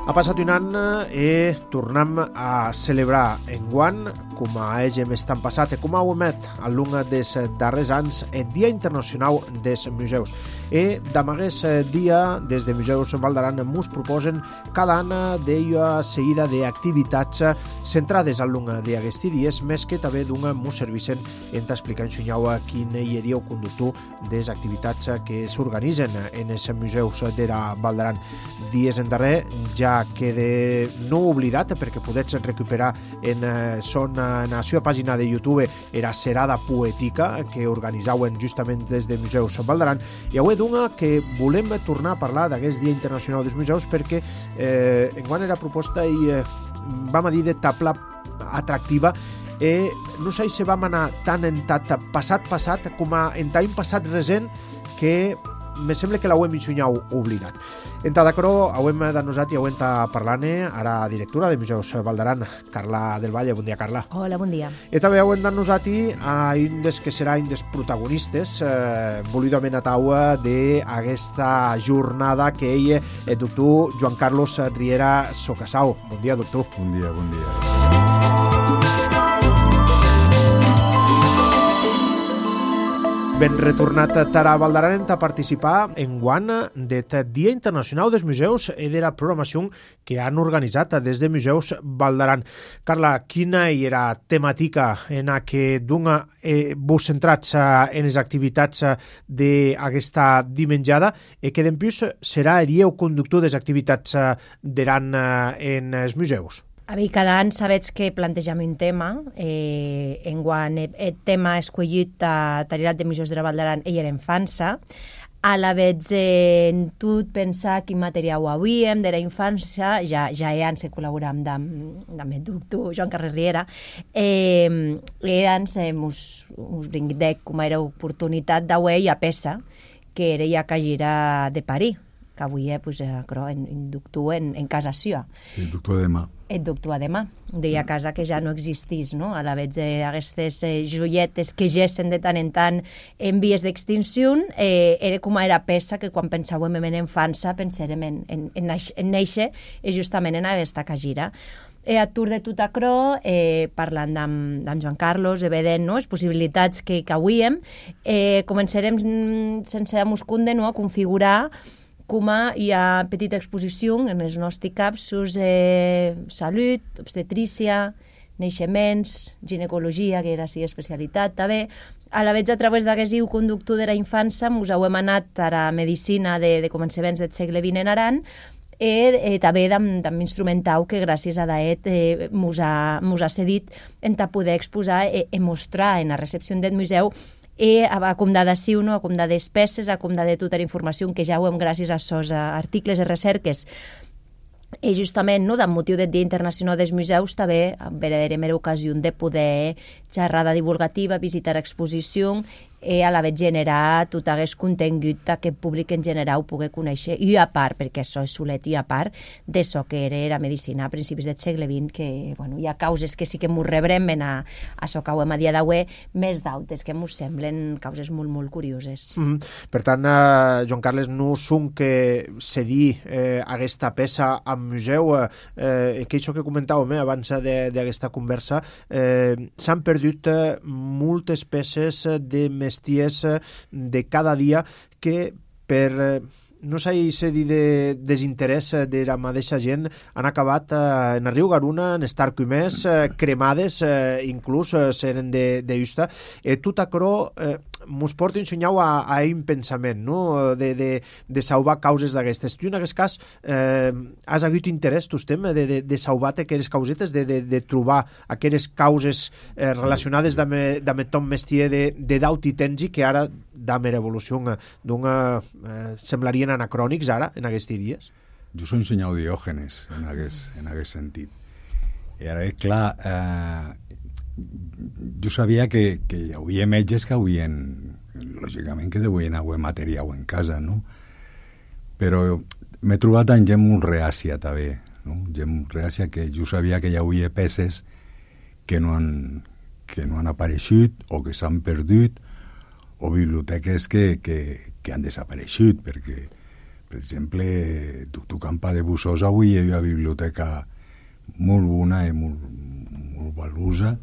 Ha passat un any i tornem a celebrar enguany, com a hem estat passat i com a hem al llarg dels darrers anys, el Dia Internacional dels Museus. I d'aquest dia, des de Museus Val d'Aran, ens proposen cada any d'una seguida d'activitats centrades al llarg d'aquests dies, més que també ens serveixen en explicar quin hi hauria el conductor de les activitats que s'organitzen en els museus de la Val d'Aran. Dies en darrer ja queda no oblidat perquè podets recuperar en la seva pàgina de YouTube era Serada Poètica que organitzaven justament des de Museus Val d'Aran, i avui que volem tornar a parlar d'aquest Dia Internacional dels Museus perquè enguany era proposta i vam a dir de tabla atractiva i no sé si vam anar tant en passat com en tant passat recent que me sembla que l'hauem mitjunyau oblidat. Entada cro, hauem de nosat i hauem de parlant ara directora de Museus Val d'Aran, Carla del Valle. Bon dia, Carla. Hola, bon dia. I també hauem de nosat a un des que serà un dels protagonistes volidament a taua d'aquesta jornada que ell, el doctor Joan Carlos Riera Socasau. Bon dia, doctor. Bon dia, bon dia. Ben retornat a Val d'Aran a participar en guant del Dia Internacional dels Museus i de la programació que han organitzat des de Museus Val d'Aran. Carla, quina era temàtica en la que vos centrats en les activitats d'aquesta dimenjada i que d'empús serà el conductor de les activitats d'Aran en els museus? A veure, cada any sabets que plantegem un tema. Enguany el tema escollit a Tarirat de Museus de la Val d'Aran era infància. A la vegada en tot pensar quin material havíem de la infància, ja abans que col·laboràvem amb el doctor Joan Carles Riera, abans us brinquidec com era oportunitat d'avui a peça, que era ja cagira de París, que avui en doctor en casa seva. El doctor demà. El doctor demà, deia casa que ja no existís, no? A la vegada d'aquestes joietes que gessen de tant en tant en vies d'extinció, era com era peça que quan pensàvem en infància pensàvem en néixer justament en aquesta cagira. A tour de tot acrò, parlant amb Joan Carlos, vedent les possibilitats que hauríem, començarem sense muscunde a configurar com hi ha petita exposició en els nostres capsos salut, obstetrícia, naixements, ginecologia, que era la especialitat també. A la vegada, a través d'aquest conductor de la infància, ens hem anat a la medicina de començaments del segle XX en Aran i també amb instrumental que gràcies a Daet ens ha cedit en poder exposar i mostrar en la recepció del museu a com d'adhesiu, a com de despeses, a com de tota la informació que ja ho hem gràcies a aquests articles i recerques. I justament, amb motiu del Dia Internacional dels Museus, també verdaderament era ocasió de poder xerrada divulgativa, visitar exposició i a la vegada generar tot aquest contingut que el públic en general pugui conèixer, i a part, perquè això és solet, i a part d'això que era la medicina a principis del segle XX, que hi ha causes que sí que ens rebrem a això que ho hem a dia d'avui, més d'altres que ens semblen causes molt, molt curioses. Per tant, Joan Carles, no són que cedir aquesta peça al museu, que això que comentàvem abans d'aquesta conversa, s'han perdut moltes peces de mesties de cada dia que per no s'ha dit de desinterès de la mateixa gent han acabat en el riu Garuna, en estar comès, cremades, inclús seren de justa. Tot acrò mos porta ensenyau a un pensament, no? de salvar causes d'aquestes. Tu en aquest cas has hagut interès, tu estem, de salvar aquelles causetes, de trobar aquelles causes relacionades amb Tom Mestier de Daut i Tenzi, que ara, amb l'evolució semblarien anacrònics ara, en aquests dies? Jo soy ensenyau Diògenes en aquest sentit. I ara, clar, jo sabia que hi havia metges que lògicament que deuen haver material en casa, no? Però m'he trobat amb gent molt reàcia també, no? Gent reàcia que jo sabia que hi havia peces que no han apareixut o que s'han perdut, o biblioteques que han desapareixut, perquè, per exemple, Doctor Campa de Bussosa avui hi ha una biblioteca molt bona i molt valuosa,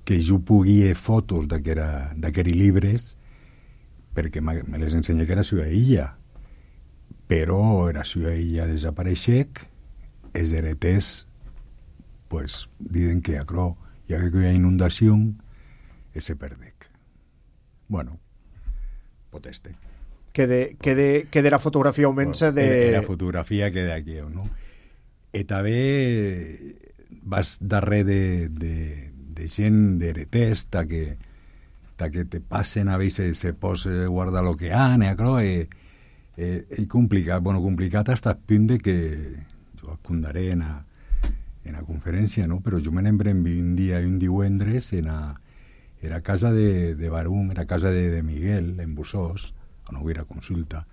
que jo pugui fotos d'aquests llibres, perquè me les ensenya que era seva illa, però era seva illa desapareixec, els hereters diuen que acrò, ja que hi ha inundació, se perdec. Bueno, poteste. Que de la fotografia auments de... La fotografia que d'aquí, no? I també vas darrere de gent d'hereters que te passen a veure se posa guardar lo que han, és complicat. Bueno, complicat fins al punt de que jo contaré en la conferència, no? Però jo me n'embrem un dia i un divendres era casa de Barum, era casa de Miguel, en Bussós, a no hubiera consulta,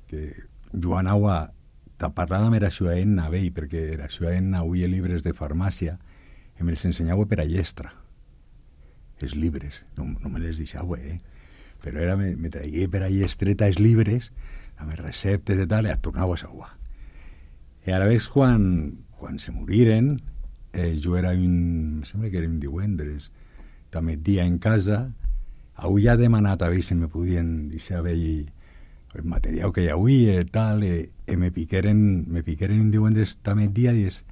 que jo anava a parlar amb la Ciudadanna vell, perquè la Ciudadanna avui llibres de farmàcia i me les ensenyava per a llestra. Els llibres, no me les deixava, però era, me tragué per a llestreta els llibres, amb les receptes i tal, i et tornava a sauar. I ara veus quan se moriren, jo era em sembla que era un divendres, també dia en casa, avui ja he demanat a veure si me podien deixar veure el material que hi havia i tal, i me piqueren un divendres també dia i és,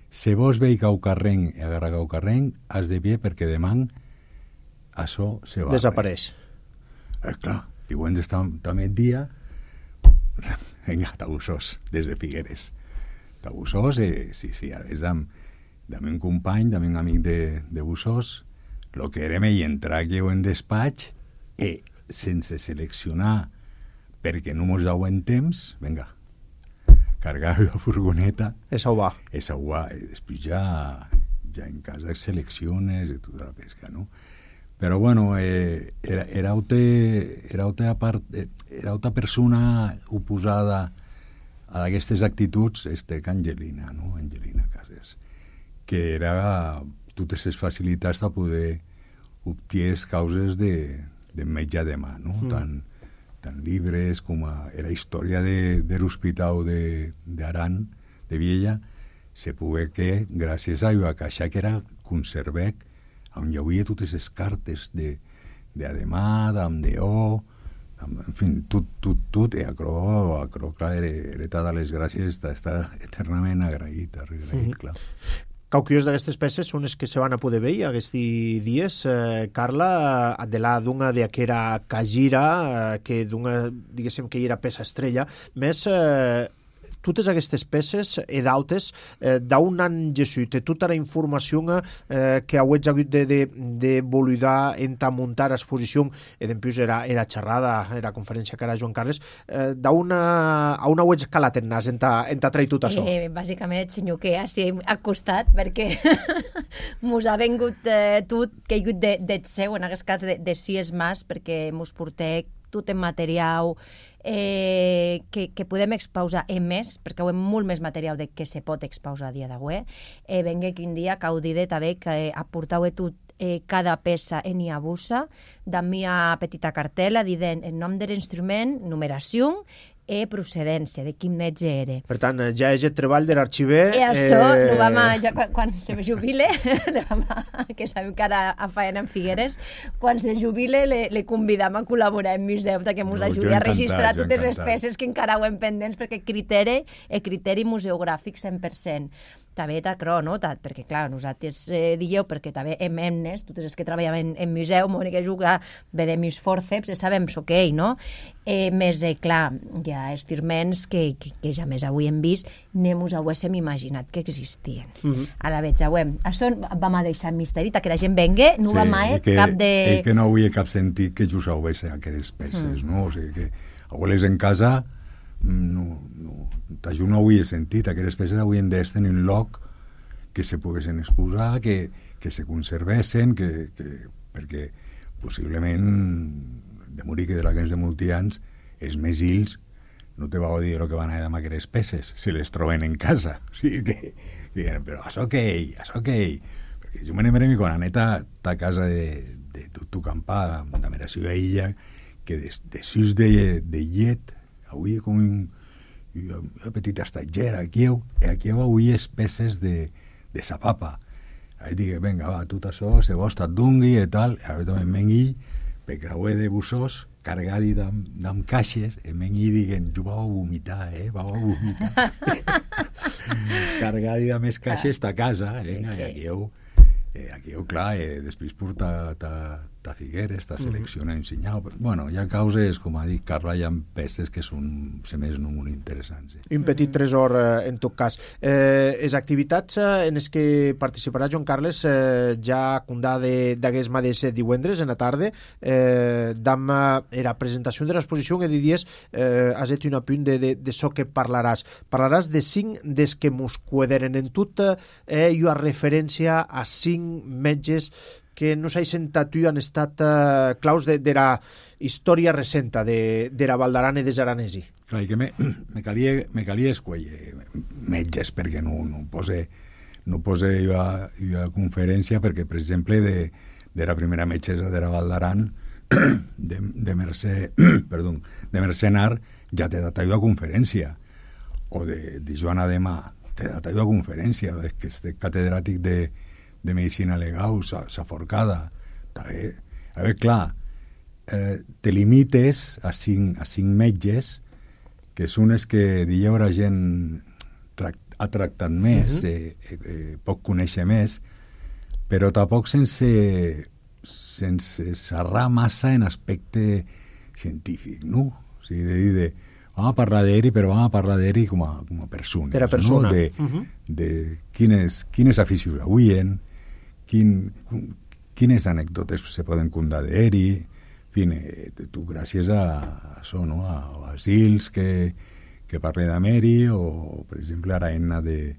si vos vei caucarrenc i agarra caucarrenc, has de pie perquè demà això se va. Desapareix. Clar, divendres també dia, vinga, tabussós, des de Figueres. Tabussós, sí, ara és d'ame un company, d'ame un amic de Bussós, lo que érem i entrar aquí en despatx i sense seleccionar perquè no mos dau en temps, vinga, cargar la furgoneta. És sauvar. I després ja en casa selecciones i tota la pesca, no? Però bueno, era altra persona oposada a aquestes actituds, que Angelina, no? Angelina Cases, que era totes les facilitats a poder obtenir causes de metge de mà, no? Tant llibres com la història de l'hospital d'Aran, de Viella, se pogué que, gràcies a la caixa que era conservec, on hi havia totes les cartes d'Ademà, d'Amdeó, en fi, tot, i acro, clar, era totes les gràcies, està eternament agraït, clar. Quauquios d'aquestes peces són les que se van a poder veure aquests dies. Carla, de la d'una d'aquera Cagira, que d'una, diguéssim, que hi era peça estrella, més totes aquestes peces e d'autes d'un any Jesús, tota la informació que hauets hagut de voludar muntar l'exposició, i després era xerrada, era conferència que era Joan Carles, a on hauets calat en nas, en trair tot això? Bàsicament el senyor que així al costat, perquè mos ha vengut tot, que hi ha hagut de seu, en aquest cas de sis mas, perquè mos porteu tot en material que podem expausar més, perquè ho hem molt més material de que se pot expausar a dia d'avui. Venga que un dia caudide també que aportau tot cada peça en i abusa, da mia petita cartela dient el nom de l'instrument, numeració i procedència, de quin metge era. Per tant, ja és el treball de l'arxiver. I això, ja quan se me jubile, que sabem que ara a faena en Figueres, quan se jubile le convidam a col·laborar en museu, que ens ajudi a registrar totes les peces que encara ho hem pendents, perquè criteri museogràfic 100%. També t'acro, no? Perquè, clar, nosaltres dieu, perquè també hem emnes, totes les que treballem en museu, Mònica juga, vedem els fòrceps, sabem què, no? Més, clar, hi ha estirments que ja més avui hem vist, ni mos haguéssim imaginat que existien. A la veig, això vam a deixar misteri, que la gent venga, no va mai cap de... I que no havia cap sentit que just hagués aquestes peces, no? O sigui que abueles en casa... jo no ho he sentit, aquestes peces haurien d'estar en un lloc que se poguessin exposar, que se conservessin, perquè possiblement de morir que de la gens de multians els més ills no te va dir el que van a dir amb aquestes peces si les troben en casa, o sigui que però això què perquè jo me n'he quan aneta a casa de Tucampà, de Meració a Illa, que de sus de llet avui com una petita estatgera aquí avui és peces de sapapa. Ahí dic, venga, va, tot això se vos et dongui i tal, ara també em vengui per creuer de bussós cargadi d'amb caixes, em vengui i diguen, jo vau a vomitar, cargadi d'amb més caixes a casa, i aquí clar, després porta a Figueres, a seleccionar i ensenyar. Bueno, hi ha causes, com ha dit Carla, hi ha peces que són, se més, no molt interessants. Un petit tresor, en tot cas. Les activitats en les que participarà Joan Carles ja condà d'aquest mateix divendres, en la tarda, damb la presentació de l'exposició, que diries, has fet un apunt de això que parlaràs. Parlaràs de 5 des que mos quederen en tot, i una referència a 5 metges que no s'haixen tu han estat claus de la història recenta de la Val d'Aran i des Aranesi? Clar, que me calia escollir metges perquè no pose jo a conferència perquè, per exemple, de la primera metgessa de la Val d'Aran de Mercenar ja t'he dat jo a conferència, o de Joana Demà t'he dat jo a conferència, que és catedràtic de Medicina Legal, s'ha forcada. A veure, clar, te limites a cinc metges, que són els que dieu la gent ha tractat més, pot conèixer més, però tampoc sense xerrar massa en aspecte científic, no? O sigui, de dir, vam a parlar d'Eri, però vam a parlar d'Eri com a persona. Per a persona. No? De quines aficions avuen, quines anècdotes se poden contar d'Eri, en fi, tu gràcies a això, no? A Basils, que parla d'Ameri, o, per exemple, a Aena de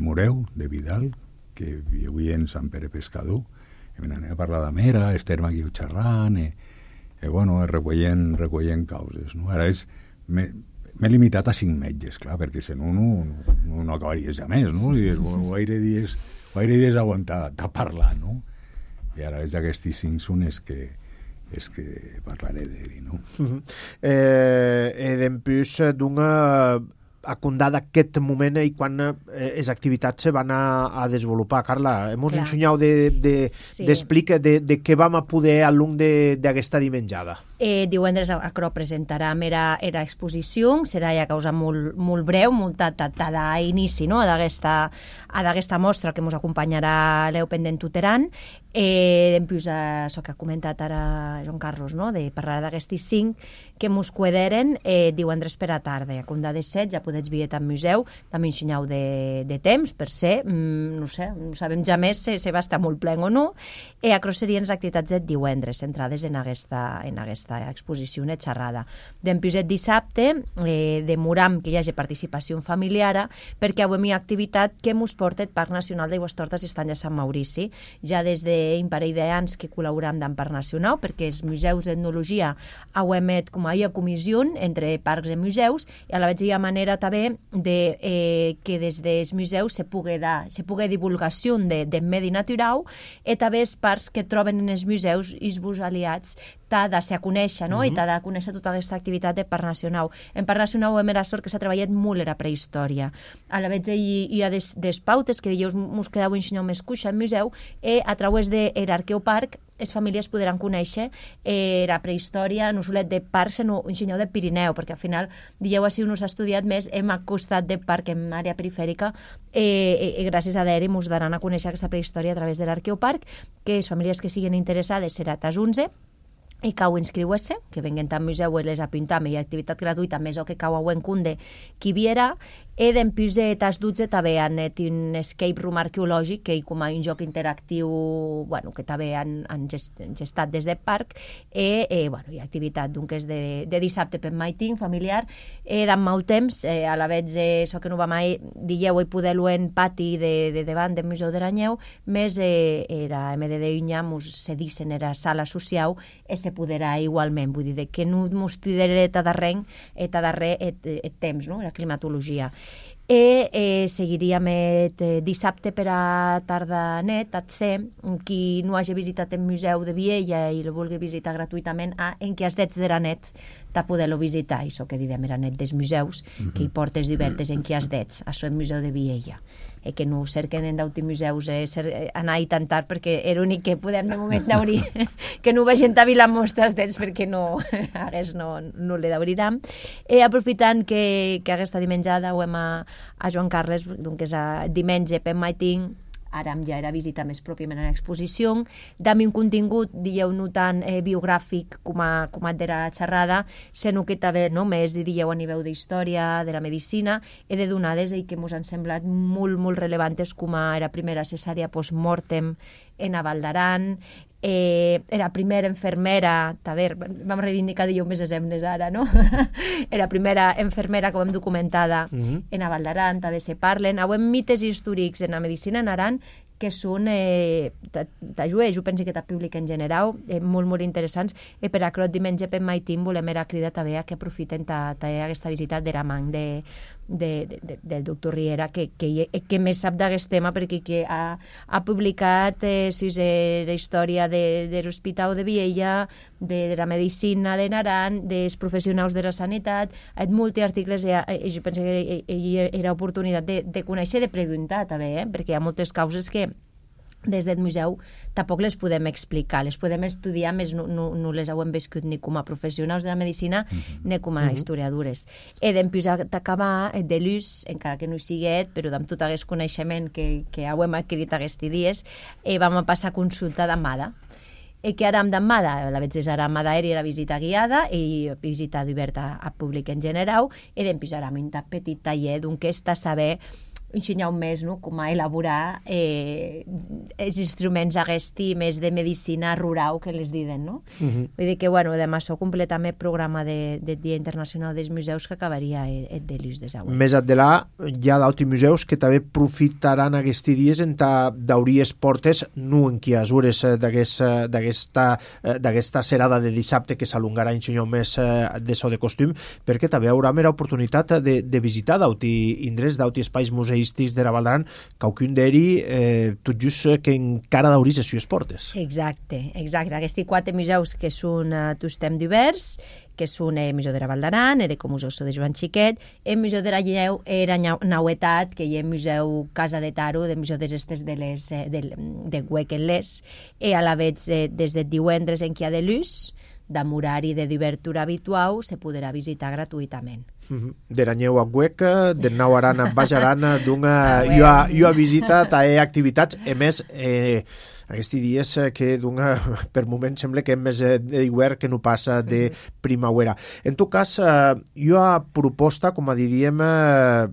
Moreu, de Vidal, que avui en Sant Pere Pescador, i anem a parlar d'Amera, Esther Maguiu xerrant, recollent causes. No? Ara m'he limitat a 5 metges, clar, perquè si no acabaries ja més, no? I gaire dies aguantar parlar, no? I ara és aquests 5 són els que parlaré d'ell, no? Dempús d'una acundada aquest moment i quan les activitats se van a desenvolupar. Carla, hem ensenyat d'explicar de què vam a poder a l'un d'aquesta dimenjada. Divendres Acro presentarà era exposició, serà ja causa molt breu, molt d'inici, no? a d'aquesta mostra que ens acompanyarà Leo Pendent Tuteran. Després, això que ha comentat ara Joan Carlos, no? De parlar d'aquestes 5 que ens quederen divendres per a tarda. A Condà de 7 ja podeu veure al museu, també ensenyau de temps, per ser, no sé, no sabem ja més si va estar molt plen o no. Acro serien les activitats de divendres, centrades en aquesta exposició, una xerrada. Després dissabte demoram que hi hagi participació familiar perquè avui hi ha activitat que ens porta el Parc Nacional d'Aigüestortes i Estany de Sant Maurici. Ja des d'un parell d'anys que col·laboram amb Parc Nacional perquè els museus d'etnologia emet com a comissió entre parcs i museus i a la vegada hi ha manera també que des dels museus se pugui divulgació de medi natural i també els parcs que troben en els museus i els aliats t'ha de ser a conèixer, no? I t'ha de conèixer tota aquesta activitat de Parc Nacional. En Parc Nacional hem sort que s'ha treballat molt en la prehistòria. A la vegada hi ha des pautes que dius ens quedau ensenyar més cuixa al museu i a través de l'Arqueoparc les famílies podran conèixer la prehistòria no solet de parcs sinó ensenyar de Pirineu, perquè al final dieu així no s'ha estudiat més, hem acostat de parc en àrea perifèrica i gràcies a d'Eri ens daran a conèixer aquesta prehistòria a través de l'Arqueoparc, que les famílies que siguin interessades serà tas 11 i cau inscriure-se, que venguen al museu i les apuntam, hi ha activitat gratuïta, més o que cau a Uencunde qui viera, i d'empús tas 12 també han un escape room arqueològic, que com a un joc interactiu que també han gestat des del parc, i hi ha activitat que és de dissabte per maiting familiar, d'en molt temps, a la vegada això que no va mai, dieu i poder-lo en pati de davant del Museu d'Aranyeu, més era MDD Unyà, se dissen era sala social, i se podrà igualment, vull dir, que no ens tridaré a darrer el temps, no?, la climatologia. I seguiríem dissabte per a tarda net, qui no hagi visitat el Museu de Viella i el vulgui visitar gratuïtament, en què has d'ets de la net de poder-lo visitar, això que diem era net dels museus, que hi portes divertes en què has d'ets, això el Museu de Viella, que no cerquen en d'autres museus anar i tantar, perquè era l'únic que podem de moment d'obrir, que no vegin a Vila mostres d'ets, perquè no le d'obrirem. Aprofitant que aquesta dimenjada ho hem a Joan Carles, que és diumenge per maiting, ara ja era visita més pròpiament a l'exposició, dami un contingut, dieu, no tant biogràfic com de la xerrada, sinó que també només dieu a nivell d'història, de la medicina, i de donades que ens han semblat molt, molt relevantes, com era primera cesària post-mortem en a Val d'Aran, era primera infermera, també vam reivindicar més exemples ara, no? Era primera infermera que ho hem documentada en a Val d'Aran, també se parlen. Avui mites històrics en la medicina en Aran que són, t'ajuda, jo penso que t'ha públic en general, molt, molt interessants, i per aquerò diumenge per Maitim volem era cridar també a que aprofiten aquesta visita de la man del doctor Riera, que més sap d'aquest tema, perquè que ha publicat la història de l'Hospital de Viella, de la medicina de Naran, dels professionals de la sanitat, ha fet molts articles, i jo penso que era oportunitat de conèixer, de preguntar també, perquè hi ha moltes causes que des del museu tampoc les podem explicar, les podem estudiar, més no les hem viscut ni com a professionals de la medicina ni com a historiadores. I després d'acabar de l'ús, encara que no hi siguet, però amb tot aquest coneixement que hem adquirit aquests dies, vam passar a consulta d'Amada. Que ara amb d'Amada, la veig és ara Amada era visita guiada i visita oberta a públic en general, i després ara un petit taller d'un que està a saber ensenyar un mes com a elaborar els instruments aquests més de medicina rural que les diuen, no? Vull dir que, demà això completament el programa del Dia Internacional dels Museus que acabaria de l'ús de Sauer. Més adelà hi ha d'altres museus que també aprofitaran aquests dies en d'obrir les portes, no en quiasures d'aquesta serada de dissabte que s'alongarà ensenyar un mes de so de costum, perquè també hi haurà més oportunitat de visitar d'altres indrets, d'altres espais museístics de la Val d'Aran, qualcun d'ells tot just que encara d'obrir les seves portes. Exacte. Aquests 4 museus que són tots temps diversos, que són el Museu de la Val d'Aran, el Museu de Joan Xiquet, el Museu de la Lleu era Nauetat, que hi ha el Museu Casa de Taro, el Museu d'Estes de Huequenles, i a la vegada des de divendres en què hi ha de l'ús, amb horari de d'obertura habitual, se podrà visitar gratuïtament. De Ranyeu a Hueca, de Nau Arana a Baix Arana, jo he visitat activitats, a més, aquests dies que per moment sembla que és més d'hivern que no passa de primavera. En tot cas, jo he proposta, com a diríem,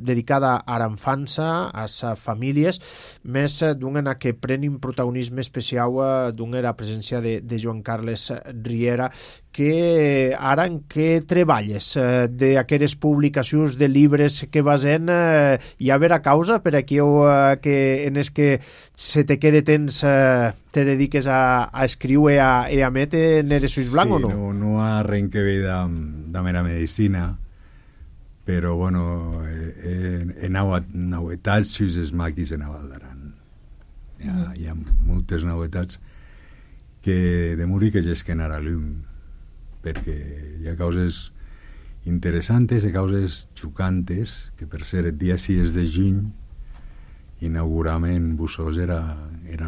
dedicada a l'infança, a les famílies, més en que prenin protagonisme especial la presència de Joan Carles Riera, que ara en què treballes d'aquestes publicacions de llibres que basen hi ha vera causa per aquí que en els que se te quede temps te dediques a escriure i a metre en els ulls blancs o no? Sí, no arrenc que ve de mera medicina, però bueno, he novetats sus els maquis en la Val d'Aran. Hi ha moltes novetats que de morir que gesquen ara llum, perquè hi ha causes interessantes i causes xocantes, que per ser el dia 6 de juny inaugurament Bussós era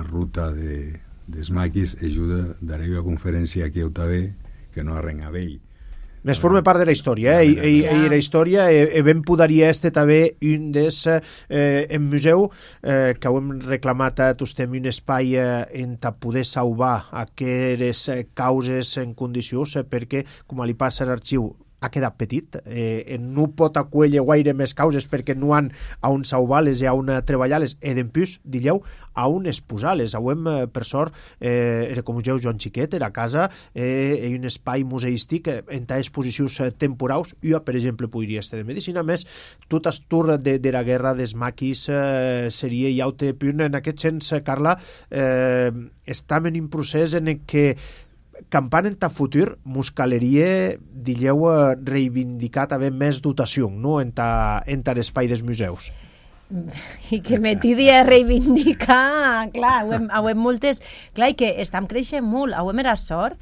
ruta dels maquis, ajuda daré una conferència aquí a Otavé que no arrenga vell. Més forma part de la història, i la història ben podaria també un des en museu que hem reclamat a tostem un espai en poder salvar aquestes causes en condicions, perquè, com li passa a l'arxiu, ha quedat petit, no pot acollir gaire més causes perquè no han on salvar-les i on treballar-les, i d'empús, digueu, on exposar-les. Avui, per sort, era com us Joan Xiquet, era a casa, i un espai museístic en exposicions temporals. Jo, per exemple, podria estar de medicina, més tot el tour de la guerra dels maquis seria i altre punt. En aquest sens, Carla, estem en un procés en què campant en ta futur mos caleria, digueu, reivindicar també més dotació, no?, en l'espai dels museus. I que me tiri a reivindicar, clar, hem moltes... Clar, i que estem creixent molt, hem era sort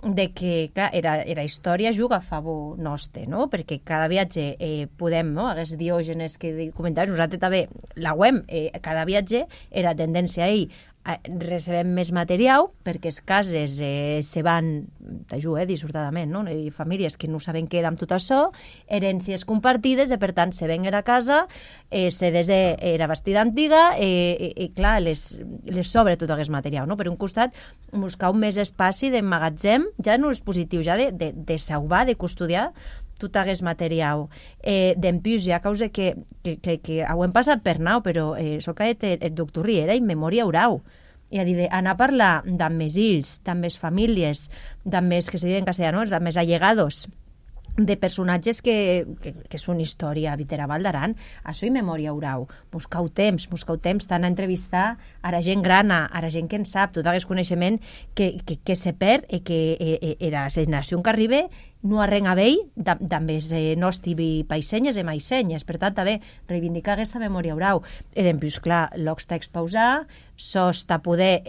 de que, clar, era història juga a favor nostre, no?, perquè cada viatge podem, no?, aquests diògenes que comentaves, nosaltres també, la web, cada viatge era tendència a ell, recebem més material perquè les cases se van dissortadament, no? I famílies que no saben què amb tot això, herències compartides, i per tant se ven a casa, se era vestida antiga, i clar, les sobre tot aquest material, no? Per un costat, buscar un més espaci d'emmagatzem, ja no és positiu, ja de salvar, de custodiar tot aquest material. D'empús, hi ha causa que ho hem passat per nau, però soc el doctor Riera i memòria oral. I a dir, anar a parlar d'amb mes ills, d'amb mes famílies, d'amb mes, que se diuen en castellà, no?, d'amb mes allegados de personatges que són història vitera Val d'Aran. Això i memòria urau. Buscau temps, tant a entrevistar a la gent grana, a la gent que en sap, tot aquest coneixement que se perd i que era la generació que arriba no arrenga bé també els nostres paisenyes i maisenyes. Per tant, també reivindicar aquesta memòria urau. I després, clar, l'ocs t'ha expausar, sos t'ha poder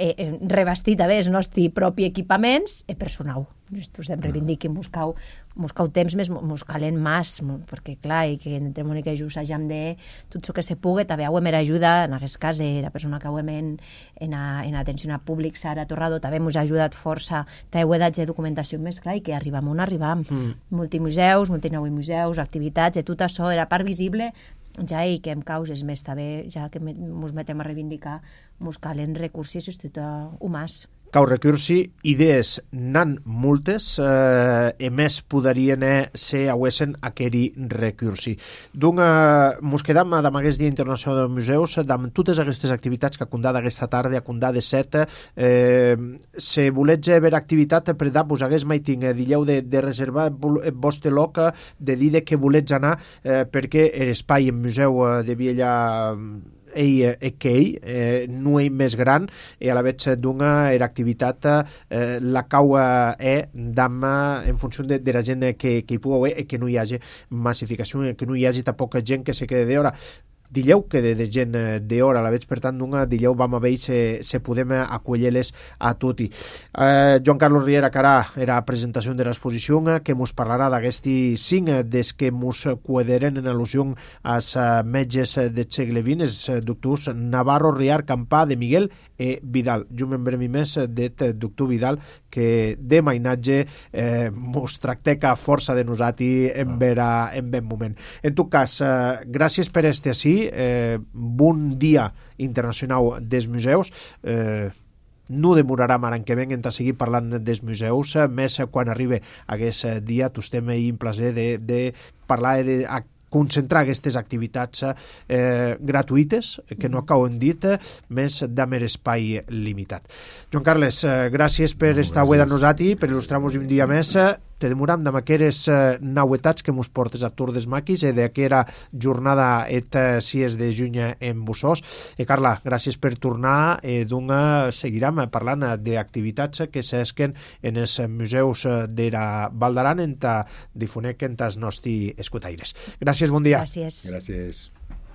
revestir també els nostres propis equipaments i personau. Us hem reivindicat, buscau temps més, mos calen més, perquè clar, i que entre Mònica i jo s'hagem de tot el que se pugui, també ho hem ajuda, en aquest cas, la persona que ho hem en atenció a públic, Sara Torrado, també ens ha ajudat força, també ho he dat de documentació més clar, i que arribam on arribam. Multimuseus, multinavimuseus, activitats, i tot això era part visible, ja i que en causes més també, ja que ens metem a reivindicar, ens calen recursos i tot humans. Cau recursi, idees n'han moltes, e més poderien ser auesen aqueri recursi. Donc, mos quedam amb aquest Dia Internacional dels Museus, amb totes aquestes activitats que acundà d'aquesta tarda, acundà de 7, se volets veure activitat, per dar-vos hagués mai tinc, dilleu de reservar vostre loc, de dir que volets anar, perquè l'espai en museu de Viella no és més gran i a la vegada d'una activitat la cau d'am en funció de la gent que hi pugui haver i que no hi hagi massificació, que no hi hagi tampoc gent que se quede d'hora. Dilleu que de gent d'hora, a la veig, per tant, dilleu vam a veure se podem acollir-les a tutti. Joan Carlos Riera Carà era la presentació de l'exposició que mos parlarà d'aquesti 5 des que mos quederen en al·lusió als metges del segle XX, els doctors Navarro, Riar, Campà, de Miguel i Vidal. Jo me'n bremi més del doctor Vidal, que de mainatge mos tracteca força de nosaltres en ben moment. En tot cas, gràcies per estar ací. Bon Dia Internacional dels Museus. No demorarà l'any que ven en seguir parlant dels museus, més quan arribi aquest dia tostem un plaer de parlar de concentrar aquestes activitats gratuïtes, que no acaben dit, més d'amer espai limitat. Joan Carles, gràcies per estar avui amb nosaltres, per il·lustrar-nos un dia més. Te demoram amb aquestes nauetats que mos portes a Tour des Maquis i d'aquesta jornada et 6 de juny en Bussós. Carla, gràcies per tornar i seguirem parlant d'activitats que s'esquen en els museus de la Val d'Aran en difonec en els nostres escutaires. Gràcies, bon dia. Gràcies. Gràcies.